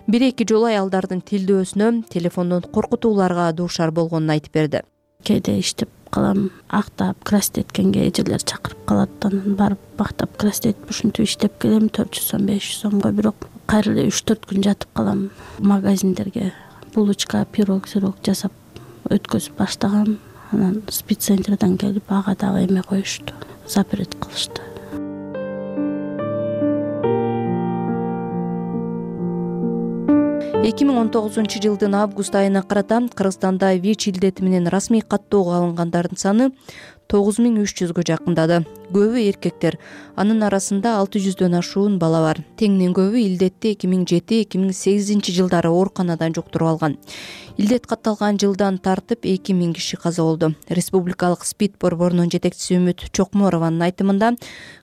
Бир эки жолу аялдардын тилдөөсүнө телефондон коркутууларга дуушар болгонун айтып берди. Кээде иштеп калам, актап, красть эткенге эжелер чакырып калат. Анан барып актап, красть этип ушинтип иштеп келем, төрт жүз сом, беш жүз сомго. Бирок кайра эле үч төрт күн жатып калам. Магазиндерге булочка, пирог, сирог жасап өткөзүп баштагам. Анан спеццентрден келип ага дагы эме коюшту, запрет кылышты. эки миң он тогузунчу жылдын август айына карата Кыргызстанда ВИЧ илдети менен расмий каттоого алынгандардын саны тогуз миң үч жүзгө жакындады. Көбү эркектер, анын арасында алты жүздөн ашуун бала бар. Теңинен көбү илдетти эки миң жети эки миң сегизинчи жылдары ооруканадан жуктуруп алган. Илдет катталган жылдан тартып эки миң киши каза болду. Республикалык СПИД борборунун жетекчиси Үмүт Чокморованын айтымында,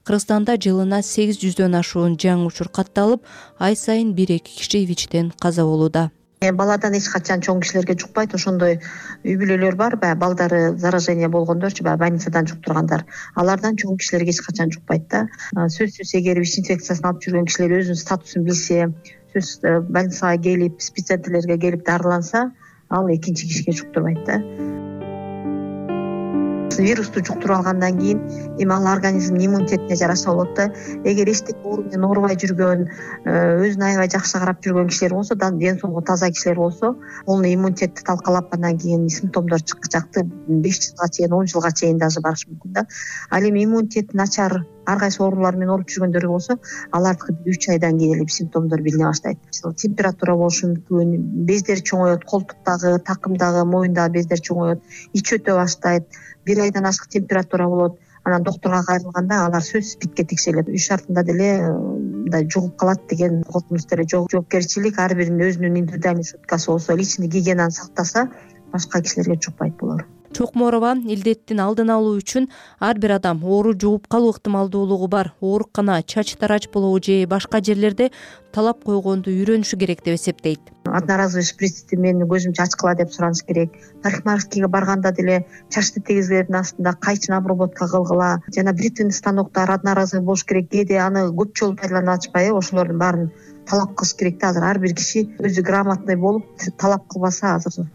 Кыргызстанда жылына сегиз жүздөн ашуун жаңы учур катталып, ай сайын бир эки киши ВИЧтен каза болууда. Баладан эч качан чоң кишилерге жукпайт. Ошондой үй бүлөлөр бар, баягы балдары заражение болгондорчу, баягы больницадан жуктургандар. Алардан чоң кишилерге эч качан жукпайт да. Сөзсүз эгер ВИЧ инфекциясын алып жүргөн кишилер өзүнүн статусун билсе, сөз больницага келип, спеццентрлерге келип дарыланса, ал экинчи кишиге жуктурбайт да. Вирусту жуктуруп алгандан кийин эми ал организмдин иммунитетине жараша болот да. Эгер эчтеке оору менен оорубай жүргөн, өзүн аябай жакшы карап жүргөн кишилер болсо, ден соолугу таза кишилер болсо, полный иммунитетти талкалап андан кийин симптомдор чыкчакты беш жылга чейин, он жылга чейин даже барышы мүмкүн да. Ал эми иммунитети начар ар кайсы оорулар менен ооруп жүргөндөргө болсо, алардыкы үч айдан кийин эле симптомдор билине баштайт. Температура болушу мүмкүн, бездер чоңоет, колтуктагы, такымдагы, моюндагы бездер чоңоет, ич өтө баштайт. Бир айдан ашык температура болот. Анан доктурга кайрылганда алар сөзсүз СПИДке текшерилет. Үй шартында деле мындай жугуп калат деген коркунуч деле жок. Жоопкерчилик ар биринин өзүнүн индивидуальный щеткасы болсо, личный гигиенаны сактаса, башка кишилерге жукпайт булар. Чокморова илдеттин алдын алуу үчүн ар бир адам оору жугуп калуу ыктымалдуулугу бар оорукана, чач тарач болобу же башка жерлерде талап койгонду үйрөнүшү керек деп эсептейт. Одноразовый шприцти мен көзүмчө ачкыла деп сураныш керек. Парикмахерскийге барганда деле чачты тегизгилердин астында кайчын обработка кылгыла. Жана бритвенный станоктор одноразовый болуш керек. Кээде аны көп жолу пайдаланып атышпайбы? Ошолордун баарын талап кылыш керек да. Азыр ар бир киши өзү грамотный болуп талап кылбаса, азыр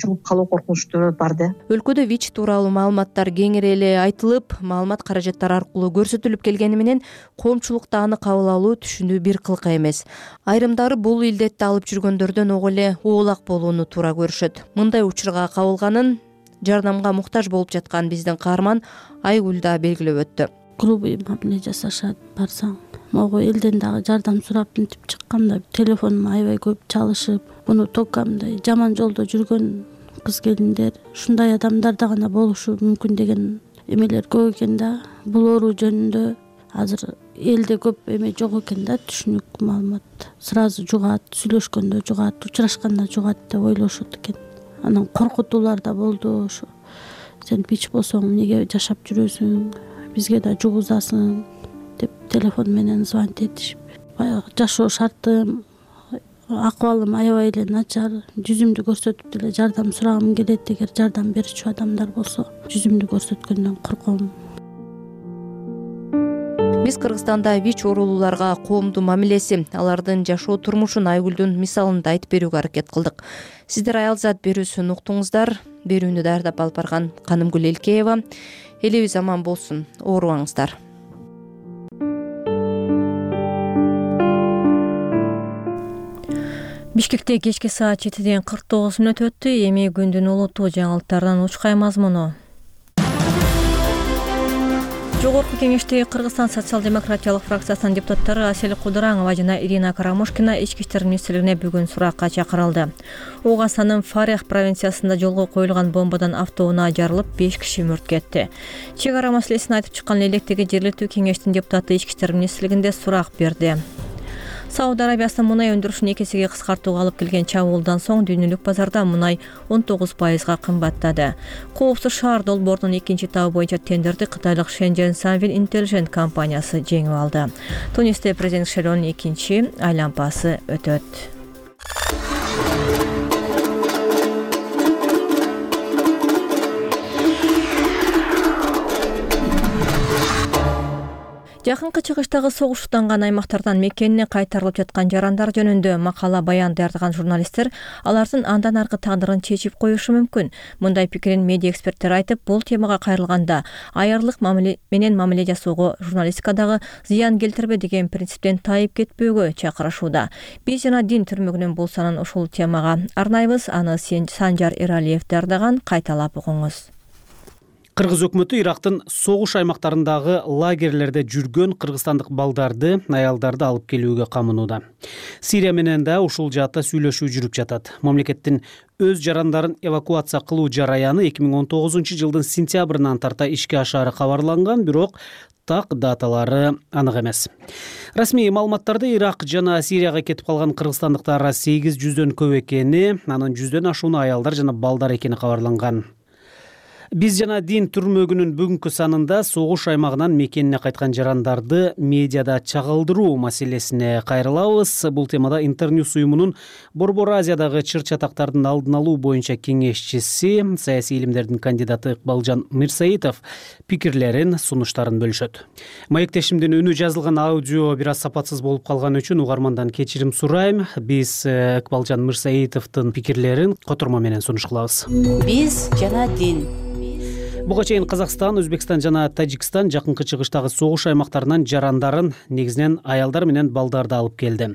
жугуп калуу коркунучтуу бар да. Өлкөдө ВИЧ тууралуу маалыматтар кеңири эле айтылып, маалымат каражаттар аркылуу көрсөтүлүп келгени менен коомчулукта аны кабыл алуу түшүнүү бир кылка эмес. Айрымдары бул илдетти алып жүргөндөрдөн ого эле оолак болууну туура көрүшөт. Мындай учурга кабылганын жардамга муктаж болуп жаткан биздин каарман Айгүл да белгилеп өттү. Грубый мамиле жасашат, барсаң. Могу элден дагы жардам сурап мынтип чыкканда телефонум аябай көп чалышып, муну только мындай жаман жолдо жүргөн кыз келиндер, ушундай адамдарда гана болушу мүмкүн деген эмелер көп экен да. Бул оору жөнүндө азыр элде көп эме жок экен да, түшүнүк маалымат. Сразу жугат, сүйлөшкөндө жугат, учурашканда жугат деп ойлошот экен. Анан коркутуулар да болду. Ошо сен ВИЧ болсоң эмнеге жашап жүрөсүң, бизге да жугузасың деп телефон менен звонить этишип, баягы жашоо шартым, акыбалым аябай эле начар, жүзүмдү көрсөтүп деле жардам сурагым келет. Эгер жардам берүүчү адамдар болсо, жүзүмдү көрсөткөндөн корком. Биз Кыргызстанда ВИЧ оорулууларга коомдун мамилеси, алардын жашоо турмушун Айгүлдүн мисалында айтып берүүгө аракет кылдык. Сиздер аял зат берүүсүн уктуңуздар. Берүүнү даярдап алып барган Канымгүл Элкеева. Элибиз аман болсун, оорубаңыздар. Бишкекте кечки саат жетиден кырк тогуз мүнөт өттү. Эми күндүн улуттуу жаңылыктарынан учкай мазмуну. Жогорку кеңештеги Кыргызстан социал-демократиялык фракциясынын депутаттары Асель Кудураңова жана Ирина Карамушкина ички иштер министрлигине бүгүн суракка чакырылды. Огастанын Фарех провинциясында жолго коюлган бомбадан автоунаа жарылып, беш киши мөрт кетти. Чек ара маселесин айтып чыккан электеги жергиликтүү кеңештин депутаты ички иштер министрлигинде сурак берди. Сауд Арабиясынын мунай өндүрүшүн эки эсеге кыскартууга алып келген чабуулдан соң дүйнөлүк базарда мунай он тогуз пайызга кымбаттады. Коопсуз шаар долбоорунун экинчи этабы боюнча тендерди кытайлык Shenzhen Sunwin Intelligent компаниясы жеңип алды. Тунисте президент шайлоонун экинчи айлампасы өтөт. Жакынкы чыгыштагы согуштанган аймактардан мекенине кайтарылып жаткан жарандар жөнүндө макала баян даярдаган журналисттер алардын андан аркы тагдырын чечип коюшу мүмкүн. Мындай пикирин медиа эксперттер айтып, бул темага кайрылганда аярлык мамиле менен мамиле жасоого журналистикадагы зыян келтирбе деген принциптен тайып кетпөөгө чакырышууда. Биз жана дин түрмөгүнүн булсанын ушул темага арнайбыз. Аны Санжар Эралиев даярдаган, кайталап угуңуз. Кыргыз өкмөтү Ирактын согуш аймактарындагы лагерлерде жүргөн кыргызстандык балдарды, аялдарды алып келүүгө камынууда. Сирия менен да ушул жаатта сүйлөшүү жүрүп жатат. Мамлекеттин өз жарандарын эвакуация кылуу жараяны эки миң он тогузунчу жылдын сентябрынан тарта ишке ашаары кабарланган, бирок так даталары анык эмес. Расмий маалыматтарда Ирак жана Сирияга кетип калган кыргызстандыктар сегиз жүздөн көп экени, анын жүздөн ашууну аялдар жана балдар экени кабарланган. Биз жана дин түрмөгүнүн бүгүнкү санында согуш аймагынан мекенине кайткан жарандарды медиада чагылдыруу маселесине кайрылабыз. Бул темада Интерньюс уюмунун Борбор Азиядагы чыр-чатактардын алдын алуу боюнча кеңешчиси, саясий илимдердин кандидаты Ыкбалжан Мирсаитов пикирлерин, сунуштарын бөлүшөт. Маектешимдин үнү жазылган аудио бир аз сапатсыз болуп калган үчүн угармандан кечирим сурайм. Биз Ыкбалжан Мирсаитовдун пикирлерин котормо менен сунуш кылабыз. Биз жана дин. Буга чейин Казакстан, Өзбекстан жана Тажикстан жакынкы чыгыштагы согуш аймактарынан жарандарын, негизинен аялдар менен балдарды алып келди.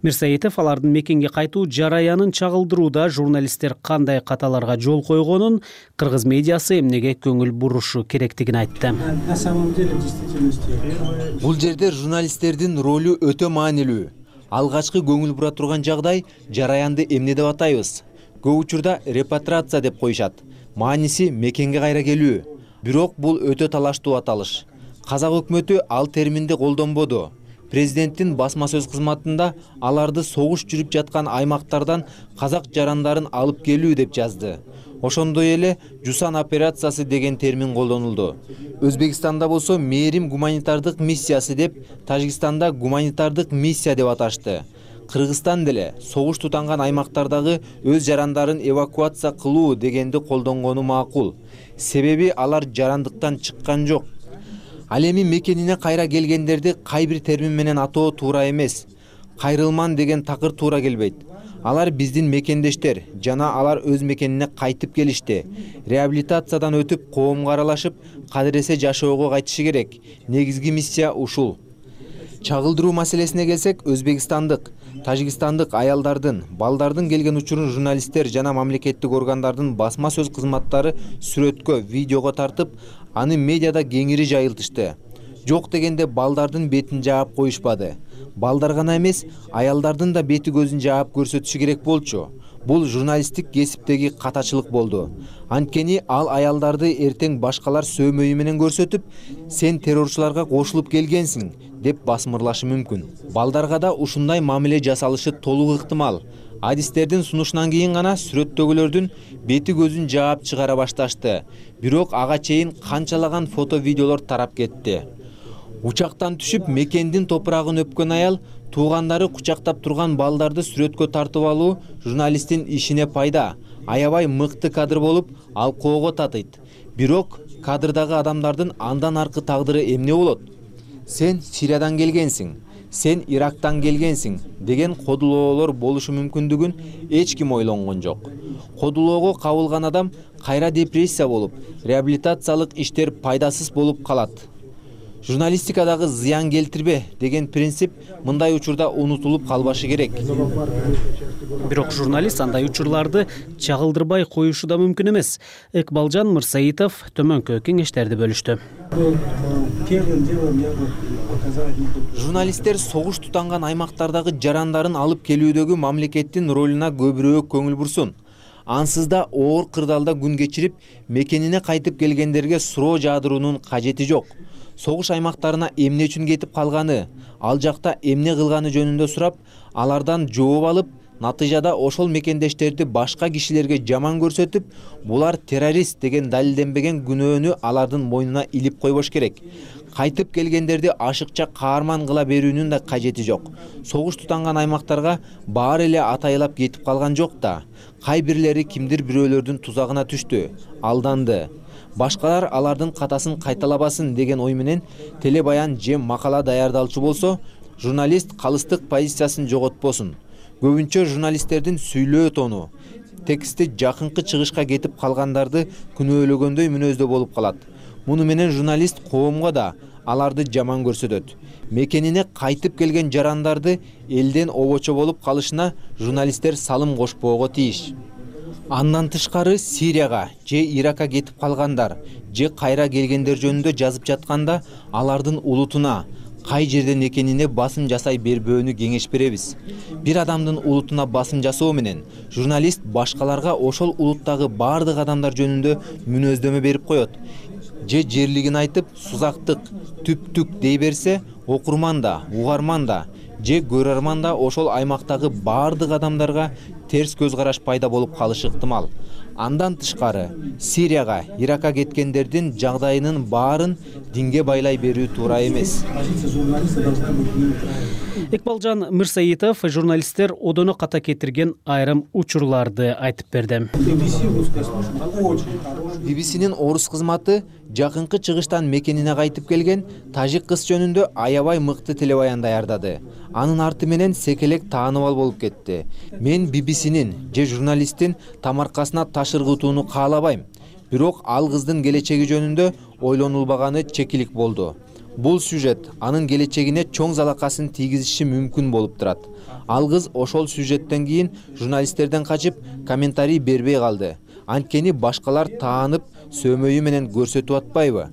Мирсаитов алардын мекенге кайтуу жараянын чагылдырууда журналисттер кандай каталарга жол койгонун, кыргыз медиасы эмнеге көңүл бурушу керектигин айтты. На самом деле действительно бул жерде журналисттердин ролу өтө маанилүү. Алгачкы көңүл бура турган жагдай жараянды эмне деп атайбыз? Көп учурда репатриация деп коюшат. Мааниси мекенге кайра келүү. Бирок бул өтө талаштуу аталыш. Казак өкмөтү ал терминди колдонбоду. Президенттин басма сөз кызматында аларды согуш жүрүп жаткан аймактардан казак жарандарын алып келүү деп жазды. Ошондой эле Жусан операциясы деген термин колдонулду. Өзбекстанда болсо мээрим гуманитардык миссиясы деп, Тажикстанда гуманитардык миссия деп аташты. Кыргызстан деле согуш тутанган аймактардагы өз жарандарын эвакуация кылуу дегенди колдонгону макул. Себеби алар жарандыктан чыккан жок. Ал эми мекенине кайра келгендерди кай бир термин менен атоо туура эмес. Кайрылман деген такыр туура келбейт. Алар биздин мекендештер, жана алар өз мекенине кайтып келишти. Реабилитациядан өтүп, коомго аралашып, кадыресе жашоого кайтышы керек. Негизги миссия ушул. Чагылдыруу маселесине келсек, Өзбекстандык, Тажикстандык аялдардын, балдардын келген учурун журналисттер жана мамлекеттик органдардын басма сөз кызматтары сүрөткө, видеого тартып, аны медиада кеңири жайылтышты. Жок дегенде балдардын бетин жаап коюшпады. Балдар гана эмес, аялдардын да бети көзүн жаап көрсөтүшү керек болчу. Бул журналисттик кесиптеги катачылык болду. Анткени ал аялдарды эртең башкалар сөөмөйү менен көрсөтүп, сен террорчуларга кошулуп келгенсиң деп басмырлашы мүмкүн. Балдарга да ушундай мамиле жасалышы толук ыктымал. Адистердин сунушунан кийин гана сүрөттөгүлөрдүн бети көзүн жаап чыгара башташты. Бирок ага чейин канчалаган фото видеолор тарап кетти. Учактан түшүп мекендин топурагын өпкөн аял туугандары кучактап турган балдарды сүрөткө тартып алуу журналисттин ишине пайда, аябай мыкты кадр болуп, алкоого татыйт. Бирок кадрдагы адамдардын андан аркы тагдыры эмне болот? Сен Сириядан келгенсиң, сен Ирактан келгенсиң деген кодулоолор болушу мүмкүндүгүн эч ким ойлонгон жок. Кодулоого кабылган адам кайра депрессия болуп, реабилитациялык иштер пайдасыз болуп калат. Журналистикадагы зыян келтирбе деген принцип мындай учурда унутулуп калбашы керек. Бирок журналист андай учурларды чагылдырбай коюшу да мүмкүн эмес. Ыкбалжан Мырсаитов төмөнкү кеңештерди бөлүштү. Журналисттер согуш тутанган аймактардагы жарандарын алып келүүдөгү мамлекеттин ролуна көбүрөөк көңүл бурсун. Ансыз да оор кырдаалда күн кечирип, мекенине кайтып келгендерге суроо жаадыруунун кажети жок. Согуш аймактарына эмне үчүн кетип калганы, ал жакта эмне кылганы жөнүндө сурап, алардан жооп алып, натыйжада ошол мекендештерди башка кишилерге жаман көрсөтүп, булар террорист деген далилденбеген күнөөнү алардын мойнуна илип койбош керек. Кайтып келгендерди ашыкча каарман кыла берүүнүн да кажети жок. Согуш тутанган аймактарга баары эле атайылап кетип калган жок да. Кай бирлери кимдир бирөөлөрдүн тузагына түштү, алданды. Башкалар алардын катасын кайталабасын деген ой менен телебаян же макала даярдалчу болсо, журналист калыстык позициясын жоготпосун. Көбүнчө журналисттердин сүйлөө тону, тексти жакынкы чыгышка кетип калгандарды күнөөлөгөндөй мүнөздө болуп калат. Муну менен журналист коомго да аларды жаман көрсөтөт. Мекенине кайтып келген жарандарды элден обочо болуп калышына журналисттер салым кошпоого тийиш. Андан тышкары Сирияга же Иракка кетип калгандар же кайра келгендер жөнүндө жазып жатканда алардын улутуна, кай жерден экенине басым жасай бербөөнү кеңеш беребиз. Бир адамдын улутуна басым жасоо менен журналист башкаларга ошол улуттагы бардык адамдар жөнүндө мүнөздөмө берип коет. Же жерлигин айтып, сузактык, түптүк дей берсе, окурман да, угарман да, же көрөрман да ошол аймактагы бардык адамдарга терс көз караш пайда болуп калышы ыктымал. Андан тышкары Сирияга, Иракка кеткендердин жагдайынын баарын динге байлай берүү туура эмес. Ыкбалжан Мырсаитов журналисттер одоно ката кетирген айрым учурларды айтып берди. би би синин орус кызматы жакынкы чыгыштан мекенине кайтып келген тажик кыз жөнүндө аябай мыкты телебаян даярдады. Анын арты менен секелек тааныбал болуп кетти. Мен би би синин же журналисттин тамаркасына таш ыргытууну каалабайм. Бирок ал кыздын келечеги жөнүндө ойлонулбаганы чекилик болду. Бул сюжет анын келечегине чоң залакасын тийгизиши мүмкүн болуп турат. Ал кыз ошол сюжеттен кийин журналисттерден качып комментарий бербей калды. Анткени башкалар таанып, сөмөйү менен көрсөтүп атпайбы?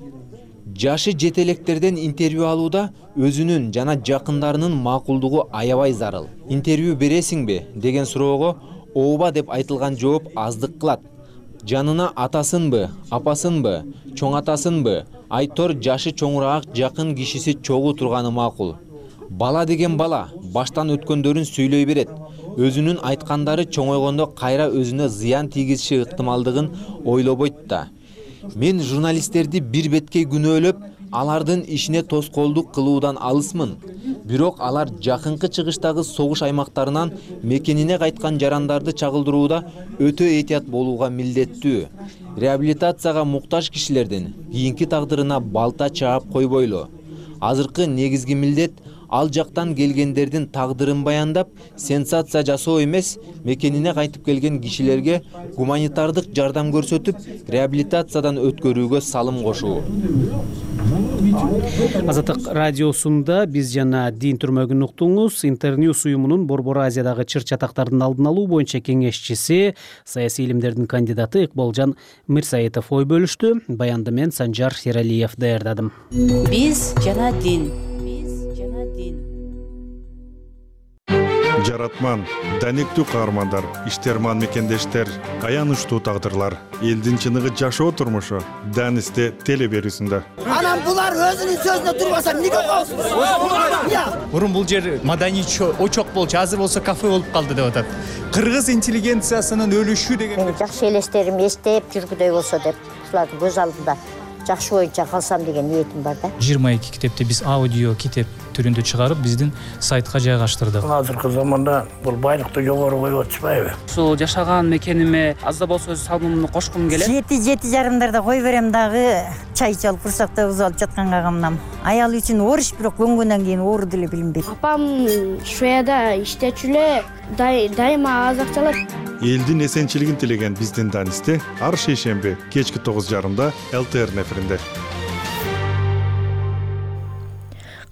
Жашы жетелектерден интервью алууда өзүнүн жана жакындарынын макулдугу аябай зарыл. Интервью бересиңби деген суроого ооба деп айтылган жооп аздык кылат. Жанына атасынбы, апасынбы, чоң атасынбы, айтор жашы чоңураак жакын кишиси чогуу турганы макул. Бала деген бала баштан өткөндөрүн сүйлөй берет. Өзүнүн айткандары чоңойгондо кайра өзүнө зыян тийгизиши ыктымалдыгын ойлобойт да. Мен журналисттерди бир беткей күнөөлөп, алардын ишине тоскоолдук кылуудан алысмын. Бирок алар жакынкы чыгыштагы согуш аймактарынан мекенине кайткан жарандарды чагылдырууда өтө этият болууга милдеттүү. Реабилитацияга муктаж кишилердин кийинки тагдырына балта чаап койбойлу. Азыркы негизги милдет ал жактан келгендердин тагдырын баяндап, сенсация жасоо эмес, мекенине кайтып келген кишилерге гуманитардык жардам көрсөтүп, реабилитациядан өткөрүүгө салым кошуу. Азаттык радиосунда биз жана Дин түрмөгүн уктуңуз. Интерньюс уюмунун Борбор Азиядагы чыр чатактардын алдын алуу боюнча кеңешчиси, саясий илимдердин кандидаты Ыкбалжан Мырсаитов ой бөлүштү. Баянды мен Санжар Сералиев даярдадым. Биз жана Дин. Жаратман, даниктүү каармандар, иштерман мекендештер, аянычтуу тагдырлар, элдин чыныгы жашоо турмушу Данисте теле берүүсүндө. Анан булар өзүнүн сөзүнө турбаса эмнеге коесуз? Мурун бул жер маданий очок болчу, азыр болсо кафе болуп калды деп атат. Кыргыз интеллигенциясынын өлүшү деген жакшы элестерим эстеп жүргүдөй болсо деп ушуларды көз алдымда жакшы боюнча калсам деген ниетим бар да. жыйырма эки китепти биз аудио китеп түрүндө чыгарып биздин сайтка жайгаштырдык. Азыркы заманда бул байлыкты жогору коюп атышпайбы? Ушул жашаган мекениме аз да болсо өз салымымды кошкум келет. Жети жети жарымдарда кой берем дагы чай ичип курсакта узуп алып жатканга камнам. Аял үчүн оруч, бирок көнгөндөн кийин оору деле билинбейт. Апам Шведияда иштечү эле, дайыма аз акча алат. Элдин эсенчилигин тилеген биздин Данисте ар шейшемби кечки тогуз жарымда эл тэ эр эфиринде.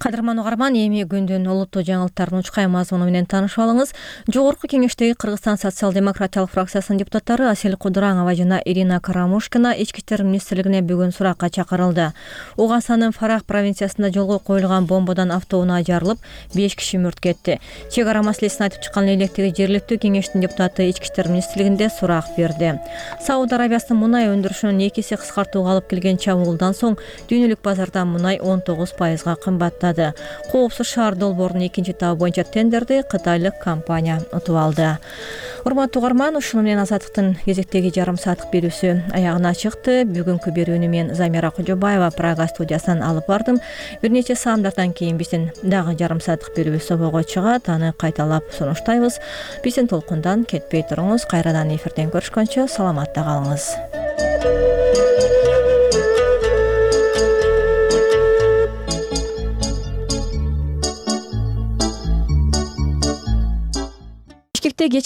Кадырман угарман, эми күндүн олуттуу жаңылыктарын учкай мазмуну менен таанышып алыңыз. Жогорку кеңештеги Кыргызстан социал-демократиялык фракциясынын депутаттары Асель Кудураңова жана Ирина Карамушкина Ички иштер министрлигине бүгүн суракка чакырылды. Угасанын Фарах провинциясында жолго коюлган бомбадан автоунаа жарылып, беш киши мүрт кетти. Чек ара маселесин айтып чыккан электеги жергиликтүү кеңештин депутаты Ички иштер министрлигинде сурак берди. Сауд Арабиясынын мунай өндүрүшүнүн эки эсе кыскартууга алып келген чабуулдан соң дүйнөлүк базарда мунай он тогуз пайызга кымбаттады. Коопсуз шаар долбоорунун экинчи табы боюнча тендерди кытайлык компания утуп алды. Урматтуу угарман, ушуну менен Азаттыктын кезектеги жарым сааттык берүүсү аягына чыкты. Бүгүнкү берүүнү мен Замира Кожобаева Прага студиясынан алып бардым. Бир нече саамдардан кийин биздин дагы жарым сааттык берүүбүз собого чыгат. Аны кайталап сунуштайбыз. Биздин толкундан кетпей туруңуз. Кайрадан эфирден көрүшкөнчө саламатта калыңыз.